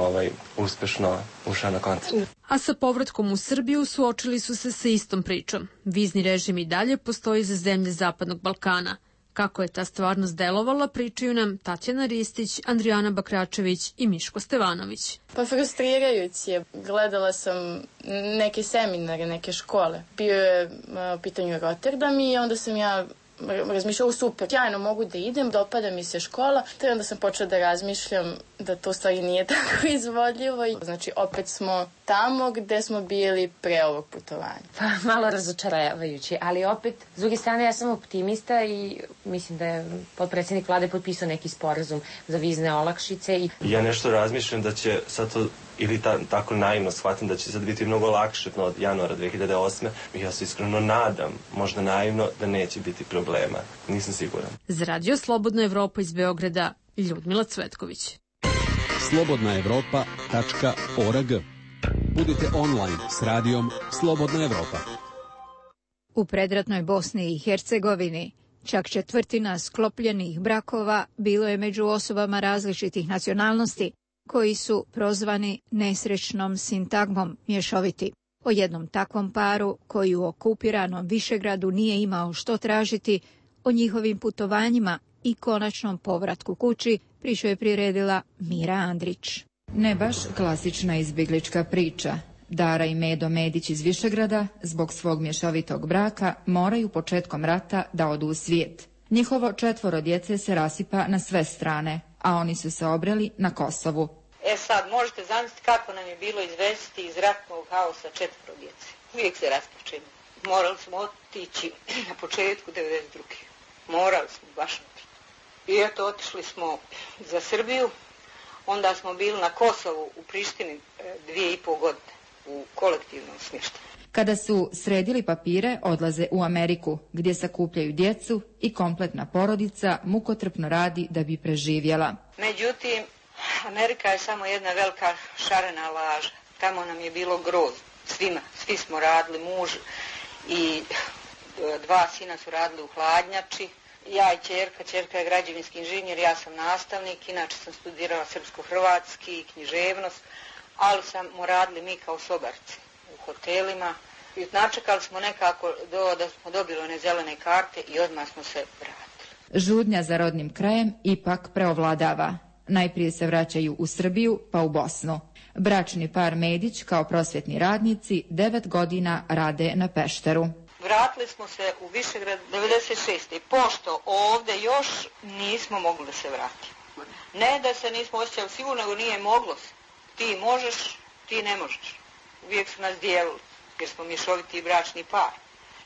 uspešno ušao na koncert. A sa povratkom u Srbiju suočili su se sa istom pričom. Vizni režim i dalje postoji za zemlje Zapadnog Balkana. Kako je ta stvarnost delovala, pričaju nam Tatjana Ristić, Andrijana Bakračević i Miško Stevanović. Pa frustrirajući je. Gledala sam neke seminare, neke škole. Bio je u pitanju Rotterdam i onda sam ja razmišljala, super, sjajno mogu da idem, dopada mi se škola, te onda sam počela da razmišljam da to u stvari nije tako izvodljivo. Znači, opet smo tamo gde smo bili pre ovog putovanja. Pa, malo razočaravajući, ali opet, s druge strane, ja sam optimista i mislim da je potpredsjednik vlade potpisao neki sporazum za vizne olakšice. Ja nešto razmišljam da će sad to, ili tako naivno shvatim, da će sad biti mnogo lakše od januara 2008. Ja se iskreno nadam, možda naivno, da neće biti problema. Nisam siguran. Za Radio Slobodna Evropa iz Beograda, Ljudmila Cvetković. slobodnaevropa.org. Budite online s radijom Slobodna Evropa. U predratnoj Bosni i Hercegovini čak 1/4 sklopljenih brakova bilo je među osobama različitih nacionalnosti, koji su prozvani nesrećnom sintagmom mješoviti. O jednom takvom paru koji u okupiranom Višegradu nije imao što tražiti, o njihovim putovanjima i konačnom povratku kući priču je priredila Mira Andrić. Ne baš klasična izbjeglička priča. Dara i Medo Medić iz Višegrada zbog svog mješovitog braka moraju početkom rata da odu u svijet. Njihovo 4 djece se rasipa na sve strane, a oni su se obreli na Kosovu. Sad možete zamisliti kako nam je bilo izvesti iz ratnog haosa 4 djece. Uvijek se raspočemo. Morali smo otići na početku 92. Morali smo baš otići. I eto, otišli smo za Srbiju. Onda smo bili na Kosovu u Prištini 2,5 godine u kolektivnom smještaju. Kada su sredili papire, odlaze u Ameriku, gdje sakupljaju djecu i kompletna porodica mukotrpno radi da bi preživjela. Međutim, Amerika je samo jedna velika šarena laža. Tamo nam je bilo grozno. Svi smo radili, muž i 2 sina su radili u hladnjači. Ja i ćerka je građevinski inženjer, ja sam nastavnik, inače sam studirala srpsko-hrvatski i književnost, ali smo radili mi kao sobarci u hotelima. I načekali smo nekako da smo dobili one zelene karte i odmah smo se vratili. Žudnja za rodnim krajem ipak preovladava. Najprije se vraćaju u Srbiju, pa u Bosnu. Bračni par Medić kao prosvjetni radnici 9 godina rade na Pešteru. Vratili smo se u Višegrad 96. pošto ovdje još nismo mogli da se vratimo. Ne da se nismo osjećali sigurno, nego nije moglo se. Ti možeš, ti ne možeš. Uvijek su nas dijelili, jer smo mješoviti bračni par.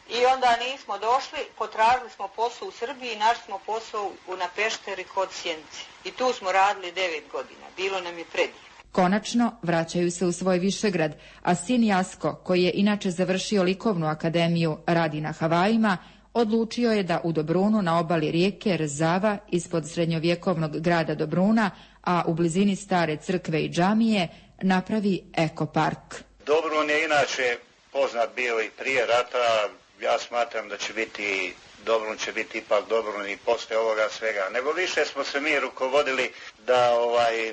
I onda nismo došli, potražili smo posao u Srbiji i našli smo posao na Pešteri kod Sjenice. I tu smo radili 9 godina. Bilo nam je predivno. Konačno vraćaju se u svoj Višegrad, a sin Jasko, koji je inače završio likovnu akademiju, radi na Havajima, odlučio je da u Dobrunu na obali rijeke Rzava ispod srednjovjekovnog grada Dobruna, a u blizini stare crkve i džamije, napravi ekopark. Dobrun je inače poznat bio i prije rata. Ja smatram da će biti Dobrun će biti ipak Dobrun i posle ovoga svega. Nego više smo se mi rukovodili da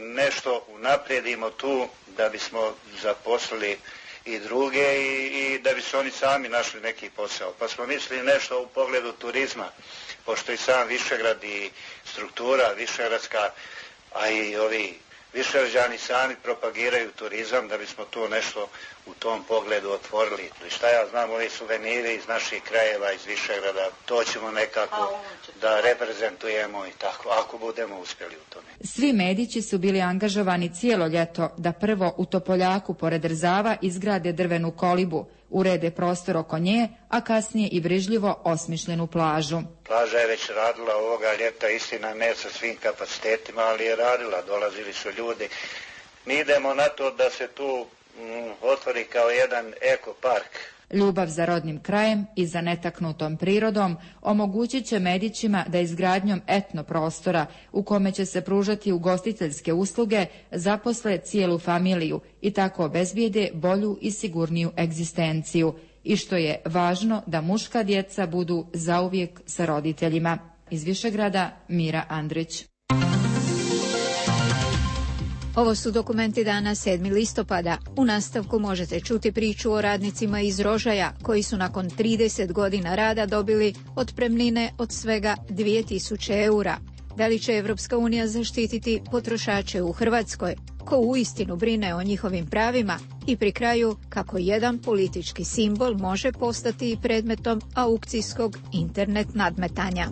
nešto unaprijedimo tu, da bismo zaposlili i druge i da bi se oni sami našli neki posao. Pa smo mislili nešto u pogledu turizma, pošto i sam Višegrad i struktura višegradska, a i ovi Višegrađani sami propagiraju turizam, da bismo tu nešto u tom pogledu otvorili. Šta ja znam, ovi suveniri iz naših krajeva, iz Višegrada, to ćemo nekako da reprezentujemo i tako, ako budemo uspjeli u tome. Svi Medići su bili angažovani cijelo ljeto da prvo u Topoljaku pored Rzava izgrade drvenu kolibu, urede prostor oko nje, a kasnije i brižljivo osmišljenu plažu. Plaža je već radila ovoga ljeta, istina ne sa svim kapacitetima, ali je radila, dolazili su ljudi. Mi idemo na to da se tu otvori kao jedan ekopark. Ljubav za rodnim krajem i za netaknutom prirodom omogućit će Medićima da izgradnjom etno prostora u kome će se pružati ugostiteljske usluge zaposle cijelu familiju i tako obezbijede bolju i sigurniju egzistenciju. I što je važno, da muška djeca budu zauvijek sa roditeljima. Iz Višegrada, Mira Andrić. Ovo su dokumenti dana 7. listopada. U nastavku možete čuti priču o radnicima iz Rožaja koji su nakon 30 godina rada dobili otpremnine od svega 2000 eura. Da li će Evropska unija zaštititi potrošače u Hrvatskoj? Ko uistinu brine o njihovim pravima? I pri kraju, kako jedan politički simbol može postati predmetom aukcijskog internet nadmetanja.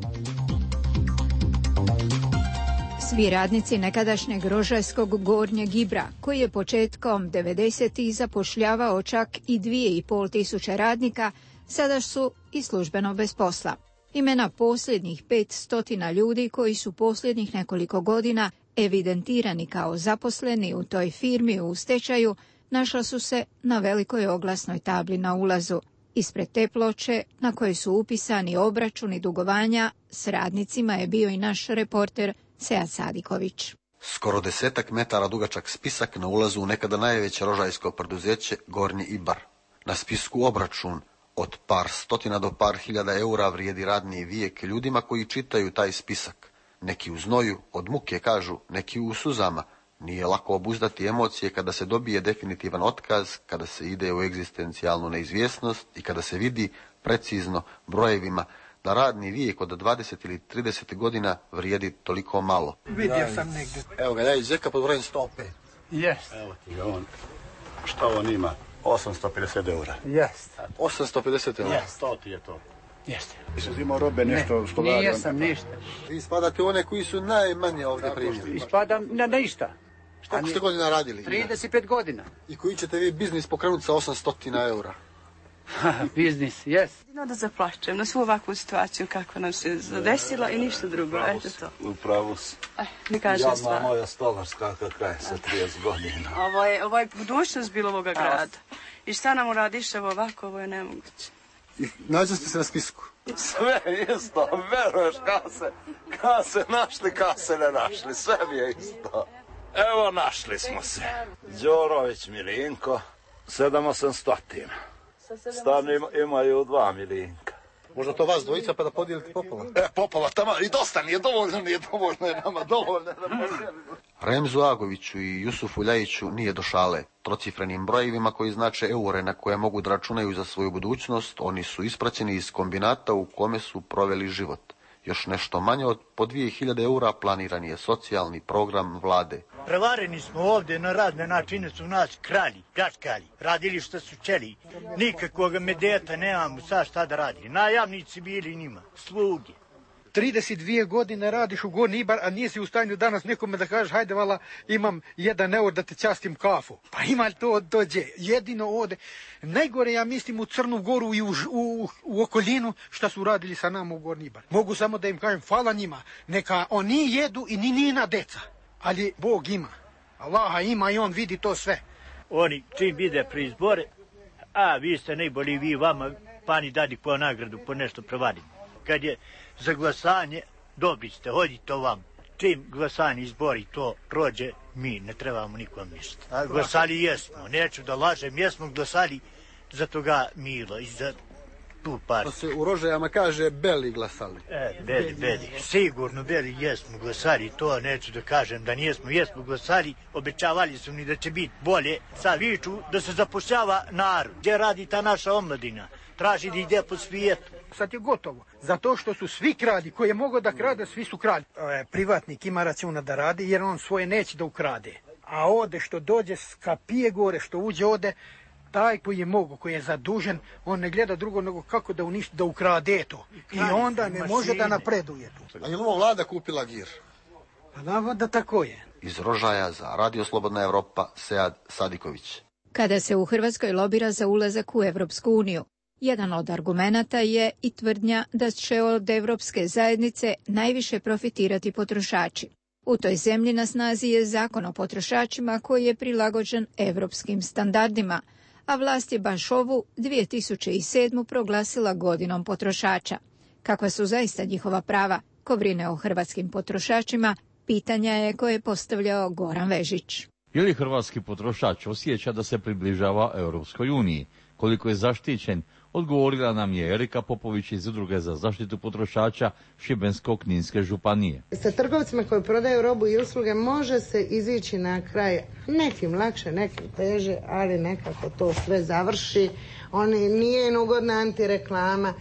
Svi radnici nekadašnjeg rožajskog Gornjeg Ibra, koji je početkom 90-ih zapošljavao čak i 2500 radnika, sada su i službeno bez posla. Imena posljednjih 500 ljudi koji su posljednjih nekoliko godina evidentirani kao zaposleni u toj firmi u stečaju, našla su se na velikoj oglasnoj tabli na ulazu. Ispred te ploče, na kojoj su upisani obračuni dugovanja, s radnicima je bio i naš reporter Sead Sadiković. Skoro 10 metara dugačak spisak na ulazu u nekada najveće rožajsko preduzeće Gornji Ibar. Na spisku obračun od par stotina do par hiljada eura vrijedi radni vijek ljudima koji čitaju taj spisak. Neki u znoju, od muke kažu, neki u suzama. Nije lako obuzdati emocije kada se dobije definitivan otkaz, kada se ide u egzistencijalnu neizvjesnost i kada se vidi precizno brojevima da radni vijek od 20 ili 30 godina vrijedi toliko malo. Vidio sam negdje. Evo ga, ja iz Zeka pod brojem 105. Jest. Evo ti ga on. Šta on ima? 850 eura. Jest. 850 eura? Jest. 100 ti je to. Jeste. Jesi uzimao robe nešto što radi? Nijesam ništa. Vi spadate one koji su najmanje ovdje primljeni. Ispadam na ništa. Koliko ste godina radili? 35 godina. I koji ćete vi biznis pokrenuti sa 800 eura? Biznis, jes. Da zaplačem na svu ovakvu situaciju kakva nam se zadesila i ništa drugo, eto to. Upravo si. Jadna moja stolarska kraj sa 30 godina. Ovo je budućnost bilo ovoga grada. I šta nam uradiš, evo ovako, ovo je nemoguće. Nađu ste se na spisku. Sve isto, veruješ, kad se našli, kad se ne našli, sve mi je isto. Evo, našli smo se. Đorović Milinko, 7-800. Stan imaju 2 Milinka. Možda to vas dvojica pa da podijelite popola? Popola, tamo i dosta, nije dovoljno je nama, dovoljno. Remzu Agoviću i Jusufu Ljajiću nije do šale. Trocifrenim brojevima koji znače eure na koje mogu da računaju za svoju budućnost, oni su ispraćeni iz kombinata u kome su proveli život. Još nešto manje od po 2000 eura planiran je socijalni program vlade. Prevareni smo ovdje na razne načine, su nas krali, pljačkali, radili što su čeli. Nikakvog medeta nemamo, sad šta da radi. Najamnici bili njima, sluge. 32 godine radiš u Gornji Ibar, a nisi u stanju danas nekome da kažeš hajde vala imam 1 eur da te častim kafu. Pa ima li to dođe? Jedino ode. Najgore ja mislim u Crnu Goru i u okolinu šta su radili sa nama u Gornji Ibar. Mogu samo da im kažem hvala njima. Neka oni jedu i ni njina deca. Ali Bog ima. Allaha ima i on vidi to sve. Oni čim vide pri izbore, a vi ste najbolji, vi vama pani dadi po nagradu, po nešto prevadim. Kad je za glasanje, dobri ste, hodite vam. Čim glasanje izbori to prođe, mi ne trebamo nikom ništa. Glasali jesmo, neću da lažem, jesmo glasali za toga Milo i za tu partiju. Pa se u Rožajama kaže beli glasali. Beli, sigurno beli jesmo glasali, to neću da kažem da nijesmo, jesmo glasali, obećavali su mi da će biti bolje. Sad viču da se zapošljava narod, gdje radi ta naša omladina, traži da ide po svijetu. Sad je gotovo. Zato što su svi kradi, koji je mogao da krade, svi su kradi. Privatnik ima računa da radi jer on svoje neće da ukrade. A ode što dođe, skapije gore, što uđe ode, taj koji je mogo, koji je zadužen, on ne gleda drugo nego kako da uništi, da ukrade to. I onda ne može da napreduje tu. A je li ovo vlada kupila gir? Pa da tako je. Iz Rožaja za Radio Slobodna Evropa, Sead Sadiković. Kada se u Hrvatskoj lobira za ulazak u Evropsku uniju, jedan od argumenata je i tvrdnja da će od Evropske zajednice najviše profitirati potrošači. U toj zemlji na snazi je zakon o potrošačima koji je prilagođen evropskim standardima, a vlast je baš ovu 2007. proglasila godinom potrošača. Kakva su zaista njihova prava, ko brine o hrvatskim potrošačima, pitanja je koje je postavljao Goran Vežić. Je li hrvatski potrošač osjeća da se približava Europskoj uniji? Koliko je zaštićen? Odgovorila nam je Erika Popović iz Udruge za zaštitu potrošača Šibensko-kninske županije. Sa trgovcima koji prodaju robu i usluge može se izići na kraj, nekim lakše, nekim teže, ali nekako to sve završi. Oni nije ugodna antireklama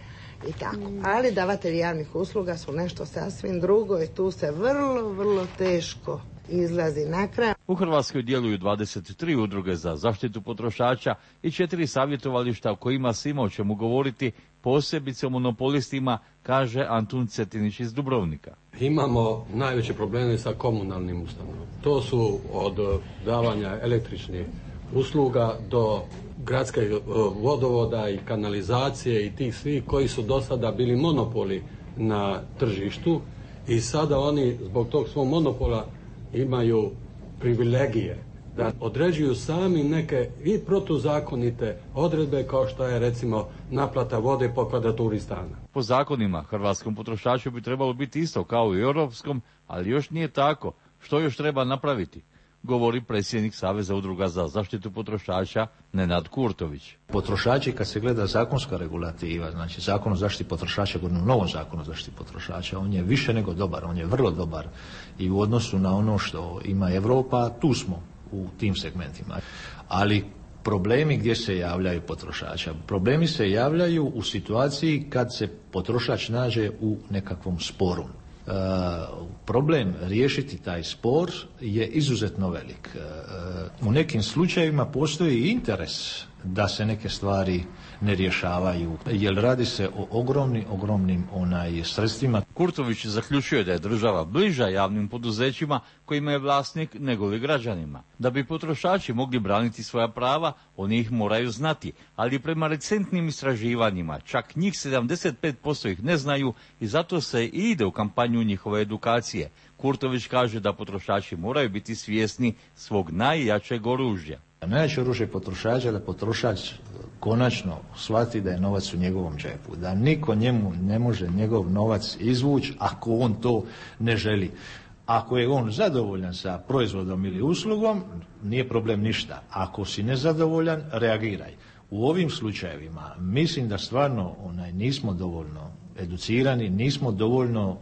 i tako. Ali davatelji javnih usluga su nešto sasvim drugo i tu se vrlo teško izlazi na kraj. U Hrvatskoj djeluju 23 udruge za zaštitu potrošača i 4 savjetovališta o kojima se ima o čemu govoriti, posebice o monopolistima, kaže Antun Cetinić iz Dubrovnika. Imamo najveće probleme sa komunalnim ustanovama. To su od davanja električnih usluga do gradskih vodovoda i kanalizacije i tih svih koji su do sada bili monopoli na tržištu i sada oni zbog tog svog monopola imaju privilegije da određuju sami neke i protuzakonite odredbe kao što je recimo naplata vode po kvadraturi stana. Po zakonima hrvatskom potrošaču bi trebalo biti isto kao i europskom, ali još nije tako. Što još treba napraviti? Govori predsjednik Saveza udruga za zaštitu potrošača Nenad Kurtović. Potrošači, kad se gleda zakonska regulativa, znači zakon o zaštiti potrošača, govorimo o novom zakonu o zaštiti potrošača, on je više nego dobar, on je vrlo dobar i u odnosu na ono što ima Europa, tu smo u tim segmentima. Ali problemi gdje se javljaju potrošača? Problemi se javljaju u situaciji kad se potrošač nađe u nekakvom sporu. Problem riješiti taj spor je izuzetno velik. U nekim slučajevima postoji interes da se neke stvari ne rješavaju, jer radi se o ogromnim sredstvima. Kurtović zaključuje da je država bliža javnim poduzećima kojima je vlasnik nego li građanima. Da bi potrošači mogli braniti svoja prava, oni ih moraju znati, ali prema recentnim istraživanjima čak njih 75% ih ne znaju i zato se i ide u kampanju njihove edukacije. Kurtović kaže da potrošači moraju biti svjesni svog najjačeg oružja. Najveće oružje potrošača da potrošač konačno shvati da je novac u njegovom džepu, da niko njemu ne može njegov novac izvući ako on to ne želi. Ako je on zadovoljan sa proizvodom ili uslugom, nije problem ništa. Ako si nezadovoljan, reagiraj. U ovim slučajevima mislim da stvarno nismo dovoljno educirani, nismo dovoljno,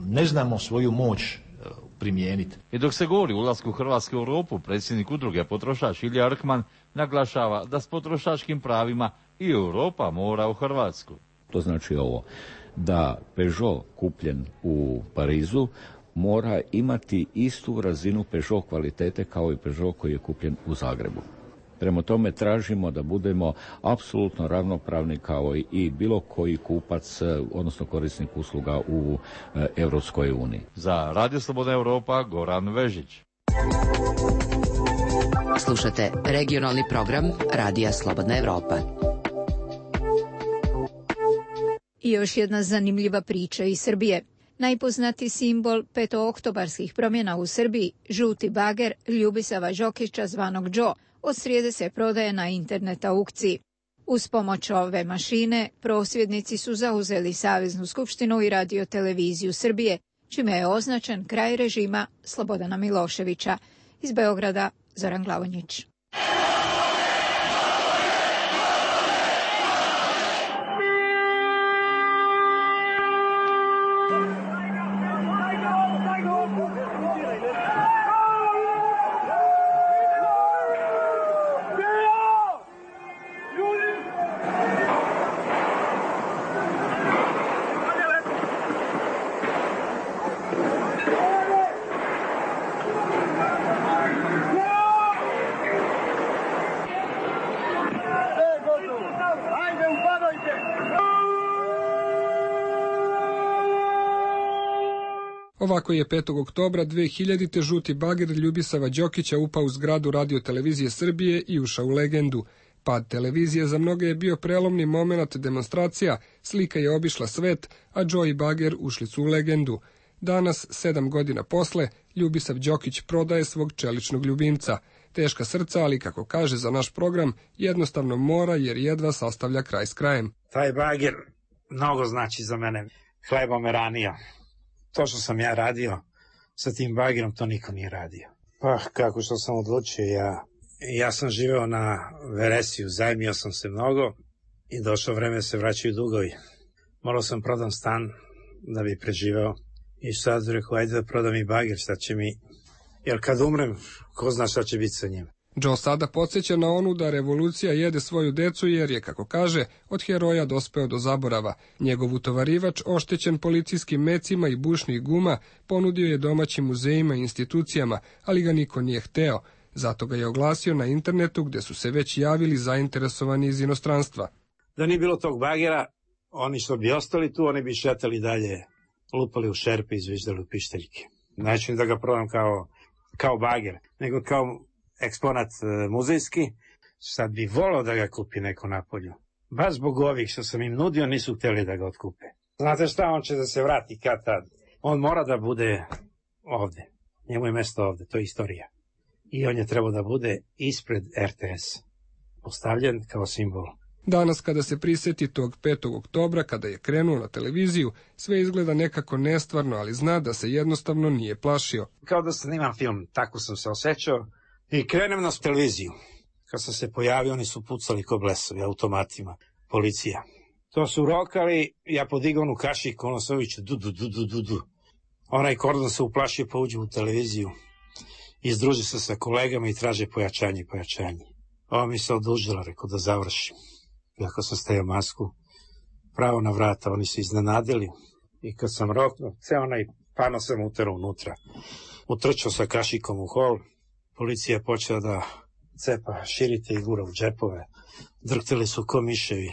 ne znamo svoju moć primijeniti. I dok se govori o ulasku Hrvatske u Europu, predsjednik udruge Potrošač Ilija Arkman naglašava da s potrošačkim pravima i Europa mora u Hrvatsku. To znači ovo, da Peugeot kupljen u Parizu mora imati istu razinu Peugeot kvalitete kao i Peugeot koji je kupljen u Zagrebu. Prema tome tražimo da budemo apsolutno ravnopravni kao i bilo koji kupac, odnosno korisnik usluga u Europskoj uniji. Za Radio Slobodna Europa, Goran Vežić. Slušate regionalni program Radija Slobodna Europa. I još jedna zanimljiva priča iz Srbije. Najpoznati simbol petooktobarskih promjena u Srbiji, žuti bager Ljubisava Đokića zvanog Džo, od srijede se prodaje na internet aukciji. Uz pomoć ove mašine, prosvjednici su zauzeli Saveznu skupštinu i Radio-televiziju Srbije, čime je označen kraj režima Slobodana Miloševića. Iz Beograda, Zoran Glavonjić. Ovako je 5. oktobra 2000. žuti bager Ljubisava Đokića upao u zgradu Radio-televizije Srbije i ušao u legendu. Pad televizije za mnoge je bio prelomni moment demonstracija, slika je obišla svet, a Džo i bager ušli su u legendu. Danas, 7 godina posle, Ljubisav Đokić prodaje svog čeličnog ljubimca. Teška srca, ali kako kaže za naš program, jednostavno mora jer jedva sastavlja kraj s krajem. Taj bager mnogo znači za mene. Hleba me ranio. To što sam ja radio sa tim bagerom, to niko nije radio. Pa, kako što sam odlučio, ja sam živeo na Veresiju, zajmio sam se mnogo i došlo vreme da se vraćaju dugovi. Morao sam prodam stan da bi preživeo i sad rekao, ajde da prodam i bager, šta će mi, jer kad umrem, ko zna šta će biti sa njim. Džo sada podsjeća na onu da revolucija jede svoju decu jer je, kako kaže, od heroja dospeo do zaborava. Njegov utovarivač, oštećen policijskim mecima i bušnih guma, ponudio je domaćim muzejima i institucijama, ali ga niko nije hteo. Zato ga je oglasio na internetu gde su se već javili zainteresovani iz inostranstva. Da nije bilo tog bagera, oni što bi ostali tu, oni bi šetali dalje, lupali u šerpe i zviždali u pišteljke. Neću da ga prodam kao bager, nego kao eksponat muzejski. Sad bi volao da ga kupi neko napolju. Baš zbog ovih što sam im nudio nisu htjeli da ga otkupe. Znate šta, on će da se vrati kad tad. On mora da bude ovde. Njemu je mesto ovde, to je istorija. I on je trebao da bude ispred RTS. Postavljen kao simbol. Danas kada se prisjeti tog 5. oktobra, kada je krenuo na televiziju, sve izgleda nekako nestvarno, ali zna da se jednostavno nije plašio. Kao da snimam film, tako sam se osjećao. I krenem na televiziju. Kad sam se pojavio, oni su pucali ko blesovi, automatima, policija. To su rokali, ja podigao onu kašiku, ono se uviće, du. Onaj kordon se uplašio, pa uđe u televiziju. Izdruži se sa kolegama i traže pojačanje. Ova mi se odužila, rekao da završim. Iako sam stavio masku, pravo na vrata, oni se iznenadili. I kad sam roknuo, ceo onaj pano sam uterao unutra. Utrčao sa kašikom u hol. Policija je počela da cepa širite i gura u džepove. Drhtili su ko miševi.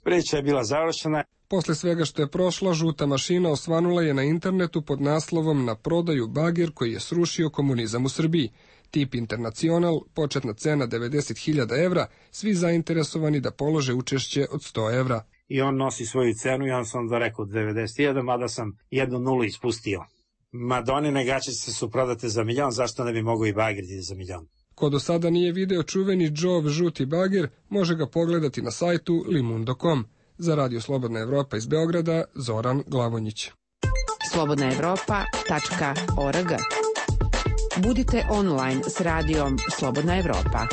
Priča je bila završena. Posle svega što je prošlo, žuta mašina osvanula je na internetu pod naslovom Na prodaju bager koji je srušio komunizam u Srbiji. Tip Internacional, početna cena 90.000 evra, svi zainteresovani da polože učešće od 100 evra. I on nosi svoju cenu, ja sam da rekao 90.000, mada sam 1 nulu ispustio. Madonine gaćice su prodate za 1.000.000, zašto ne bi mogao i bager za 1.000.000? Ko do sada nije video čuveni Joe žuti bager, može ga pogledati na sajtu limundo.com. Za Radio Slobodna Evropa iz Beograda, Zoran Glavonjić. slobodnaevropa.org. Budite online s radijom Slobodna Evropa.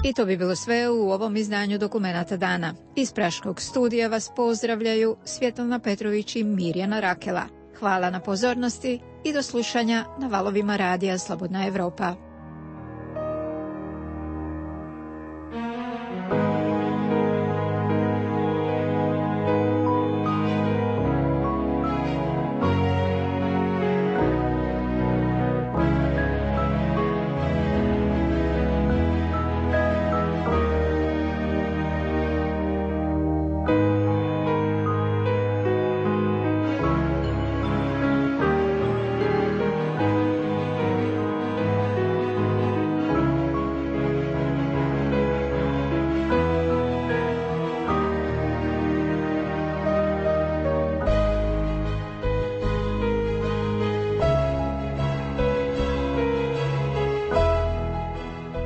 I to bi bilo sve u ovom izdanju Dokumenata dana. Iz Praškog studija vas pozdravljaju Svjetlana Petrović i Mirjana Rakela. Hvala na pozornosti i do slušanja na valovima radija Slobodna Evropa.